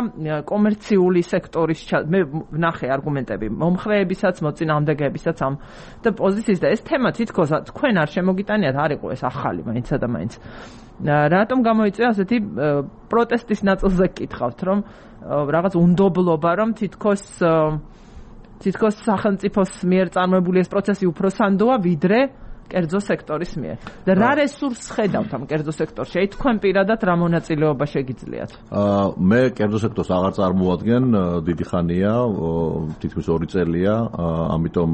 კომერციული სექტორის მე ვნახე არგუმენტები მომხრეებისაც, მოწინააღმდეგეებისაც ამ და პოზიციის და ეს თემა თითქოს თქვენ არ შემოგიტანიათ, არ იყო ეს ახალი მაინცა და მაინც. რატომ გამოიწვია ასეთი პროტესტის ნაწილზე გკითხავთ, რომ რაღაც უნდობლობა, რომ თითქოს თითქოს სახელმწიფოს მიერ წარმოებული ეს პროცესი უფრო სანდოა, ვიდრე კერძო სექტორის მიერ. და რა რესურსს ხედავთ ამ კერძო სექტორში? აი თქვენ პირადად რა მონაწილეობა შეგიძლიათ? აა მე კერძო სექტორს აღარ წარმოადგენ, დიდი ხანია, თითქმის ორი წელია, ამიტომ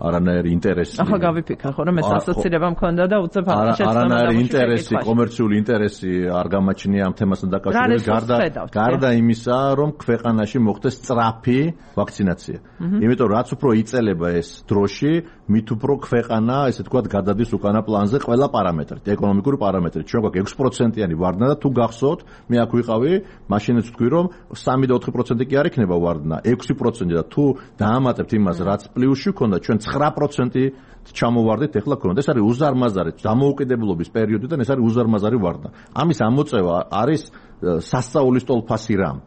არანაირი ინტერესი. ახლა გავიფიქრე ხო რომ ეს ასოცირება მქონდა და უცებ ახლა შეცდომა. არანაირი ინტერესი, კომერციული ინტერესი არ გამაჩნია ამ თემასთან დაკავშირებით, გარდა გარდა იმისა, რომ ქვეყანაში მოხდეს სწრაფი ვაქცინაცია. იმიტომ რაც უფრო იწელება ეს დროში, მით უფრო ქვეყანა, ესე ვთქვათ, გადადის უკანა პლანზე ყველა პარამეტრით, ეკონომიკური პარამეტრით. ჩვენ გვაქვს ექვსი პროცენტიანი ვარდნა და თუ გახსოვთ, მე აქ ვიყავი, მაშინაც ვთქვი, რომ სამი და ოთხი პროცენტი კი არ იქნება ვარდნა, ექვსი პროცენტი და თუ დაამატებთ იმას, რაც პლუსში ქონდა, ჩვენ ცხრა პროცენტი ჩამოვარდეთ, ეხლა ქონდა. ეს არის უზარმაზარი დამოუკიდებლობის პერიოდიდან, ეს არის უზარმაზარი ვარდნა. ამის ამოწევა არის სასწაულის ტოლფასი რამ.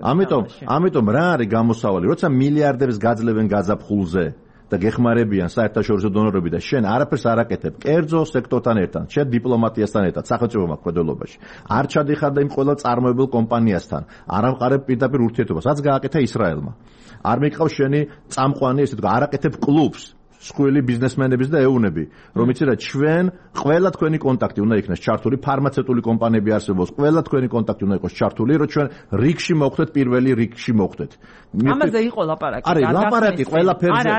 ამიტომ, ამიტომ რა არის გამოსავალი, როცა მილიარდებს გაძლევენ გაზაფხულზე და გეხმარებიან საერთაშორისო დონორები და შენ არაფერს არ აკეთებ კერძო სექტორთან ერთად, შენ დიპლომატიასთან ერთად, სახელმწიფო მმართველობაში. არ ჩადიხარ და იმ ყველა წარმოებულ კომპანიასთან, არ ამყარებ პირდაპირ ურთიერთობას, რაც გააკეთა ისრაელმა. არ მიყავს შენი წამყვანი, ესე თქვა, არ აკეთებ კლუბს, სხვილი ბიზნესმენების და ეუნები, რომ იცი რა, ჩვენ ყველა თქვენი კონტაქტი უნდა იქნას ჩართული, ფარმაცევტული კომპანიები არსებობს, ყველა თქვენი контакти უნდა იყოს ჩართული, რომ ჩვენ რიგში მოვხდეთ, პირველი რიგში მოვხდეთ. ამაზე იყო ლაპარაკი. არის ლაპარაკი ყველაფერზე.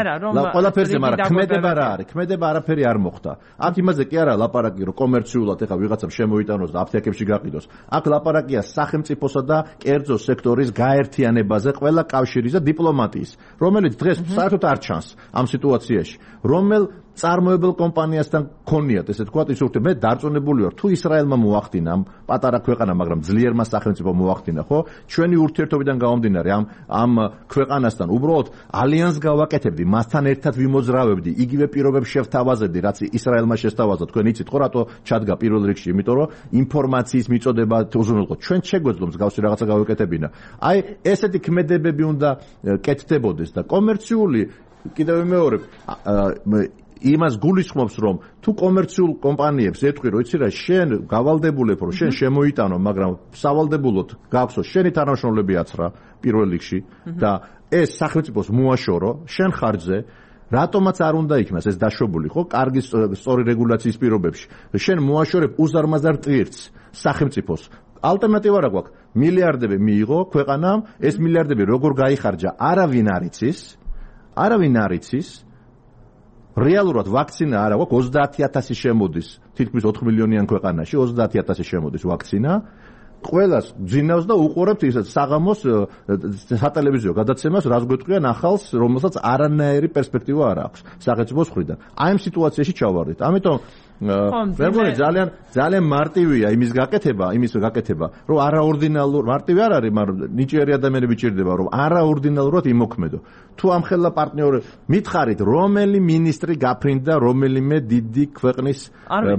ყველაფერზე, მაგრამ ქმედება რა არის? ქმედება არაფერი არ მოხდა. აქ იმაზე კი არა ლაპარაკი, რომ კომერციულად ეხა ვიღაცამ შემოიტანოს და აფთიაქებში გაყიდოს. აქ ლაპარაკია სახელმწიფოსა და კერძო სექტორის გაერთიანებაზე, ყველა კავშირის და დიპლომატიის, რომელიც დღეს საერთოდ არ ჩანს ამ სიტუაციაში. რომელ წარმოებელ კომპანიასთან ქონიათ, ესე თქვა, ის ურთიერთობა. მე დარწმუნებული ვარ, თუ ისრაელმა მოახდინა ამ პატარა ქვეყანა, მაგრამ ძლიერმა სახელმწიფომ მოახდინა, ხო? ჩვენი ურთიერთობიდან გამომდინარე ამ ამ ქვეყანასთან უბრალოდ ალიანსს გავაკეთებდი, მასთან ერთად ვიმოძრავებდი, იგივე პირობებს შევთავაზებდი, რაც ისრაელმა შესთავაზა. თქვენ იცით ხო, რატო ჩადგა პირველ რიგში? იმიტომ რომ ინფორმაციის მიწოდება უზრუნველყო. ჩვენ შეგვეძლო მსგავსი რაღაცა გავაკეთებინა. აი, ესეთი ქმედებები უნდა კეთდებოდეს და კომერციული კიდევ მეორე იმას გულისხმობს, რომ თუ კომერციულ კომპანიებს ეთქვი, რომ იცი რა, შენ გავალდებულებ, რომ შენ შემოიტანო, მაგრამ სავალდებულოდ გაქვსო შენი თანამშრომლები აცრა პირველ რიგში და ეს სახელმწიფოს მოაშორო შენ ხარჯზე, რატომაც არ უნდა იქნას ეს დაშვებული, ხო? კარგი სწორი რეგულაციის პირობებში. შენ მოაშორებ უზარმაზარ ტვირთს სახელმწიფოს. ალტერნატივა რა გვაქვს? მილიარდები მიიღო ქვეყანამ, ეს მილიარდები როგორ გაიხარჯა, არავინ არ იცის. არავინ არ იცის. რეალურად ვაქცინა არა გვაქვს, ოცდაათი ათასი შემოდის, თითქმის ოთხ მილიონიან ქვეყანაში ოცდაათი ათასი შემოდის ვაქცინა ყველას გძინავს და უყურებთ ისეთ საღამოს სატელევიზიო გადაცემას, რაც გვეტყვიან ახალს, რომელსაც არანაირი პერსპექტივა არ აქვს სახელმწიფოს მხრიდან. აი ამ სიტუაციაში ჩავარდით. ამიტომ მეგონი ძალიან ძალიან მარტივია იმის გაკეთება, იმის გაკეთება, რომ არაორდინალურ, მარტივი არ არის, მაგრამ ნიჭიერი ადამიანები ჭირდება, რომ არაორდინალურად იმოქმედო. თუ ამ ხელა პარტნიორი მითხარით, რომელი მინისტრი გაფრინდა რომელიმე დიდი ქვეყნის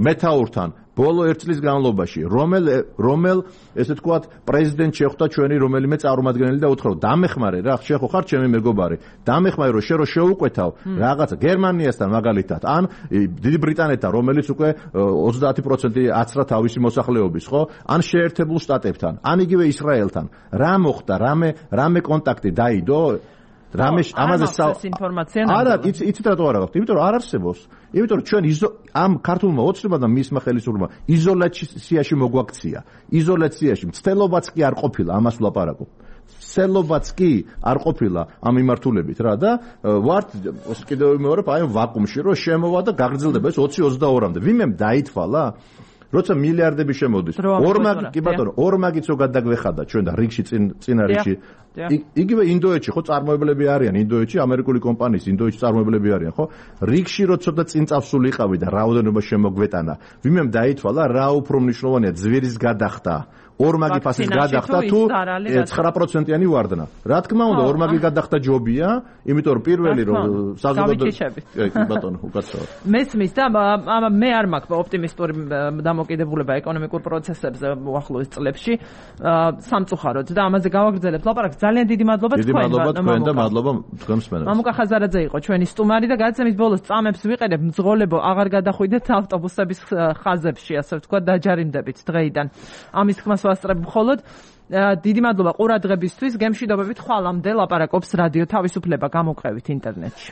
მეთაურთან ბოლო ერთ წლის განმავლობაში, რომელ რომელ ესე თქვათ პრეზიდენტ შეხვდა ჩვენი რომელიმე წარმომადგენელი და უთხრა, დამეხმარე რა, შეხო ხარ ჩემი მეგობარი, დამეხმარე რომ შე რო შეუკვეთავ რაღაცა გერმანიასთან მაგალითად, ან დიდი ბრიტანეთთან, რომელიც უკვე ოცდაათი პროცენტი აცრა თავისი მოსახლეობის, ხო? ან შეერთებულ შტატებთან, ან იგივე ისრაელთან. რა მოხდა, რამე რამე კონტაქტი დაიდო? რამე ამაზე ინფორმაცია არა, იცით რატო არ აქვს? იმიტომ რომ არ არსებობს. იმიტომ რომ ჩვენ ამ ქართულმა ოცნებამ და მისმა ხელისუფლებამ იზოლაციაში მოგვაქცია. იზოლაციაში მცდელობაც კი არ ყოფილა ამას ვლაპარაკობ. მცდელობაც კი არ ყოფილა ამ მიმართულებით რა და ვართ კიდევ ვიმეორებ აი ვაკუუმში რომ შემოვა და გაგრძელდება ეს ოცი ოცდაორმამდე. ვინმე დაითვალა? როცა მილიარდები შემოდის. ორმაგი კი ბატონო, ორმაგიც რო გადაგვეხადა ჩვენ და რიგში წინ წინა რიგში. იგივე ინდოეთში ხო წარმოებლები არიან, ინდოეთში ამერიკული კომპანიის ინდოეთში წარმოებლები არიან, ხო? რიგში რო ცოტა წინ წავსულიყავი და რაოდენობა შემოგვეტანა. ვინმე დაითვალა რა უფრო მნიშვნელოვანია ძვირის გადახდა. ორმაგი ფასის გადახდა თუ ცხრა პროცენტიანი ვარდნა. რა თქმა უნდა, ორმაგი გადახდა ჯობია, იმიტომ რომ პირველი რომ საზოგადოება კი ბატონო, უკაცრავად. მესმის და მე არ მაქვს ოპტიმისტური დამოკიდებულება ეკონომიკურ პროცესებზე უახლოეს წლებში. სამწუხაროდ და ამაზე გავაგრძელებთ ლაპარაკს. ძალიან დიდი მადლობა თქვენ. დიდი მადლობა თქვენ და მადლობა თქვენ მსმენელს. მამუკა ხაზარაძე იყო ჩვენი სტუმარი და გადაცემის ბოლოს წამებს ვიყენებ მძღოლებო აღარ გადახვიდეთ ავტობუსების ხაზებში, ასე ვთქვათ, დაჯარიმდებით დღეიდან. ამის თქმას ვასწრებ მხოლოდ დიდი მადლობა ყურადღებისთვის. გემშვიდობებით ხვალამდე ლაპარაკობს რადიო თავისუფლება, გამოყევით ინტერნეტში.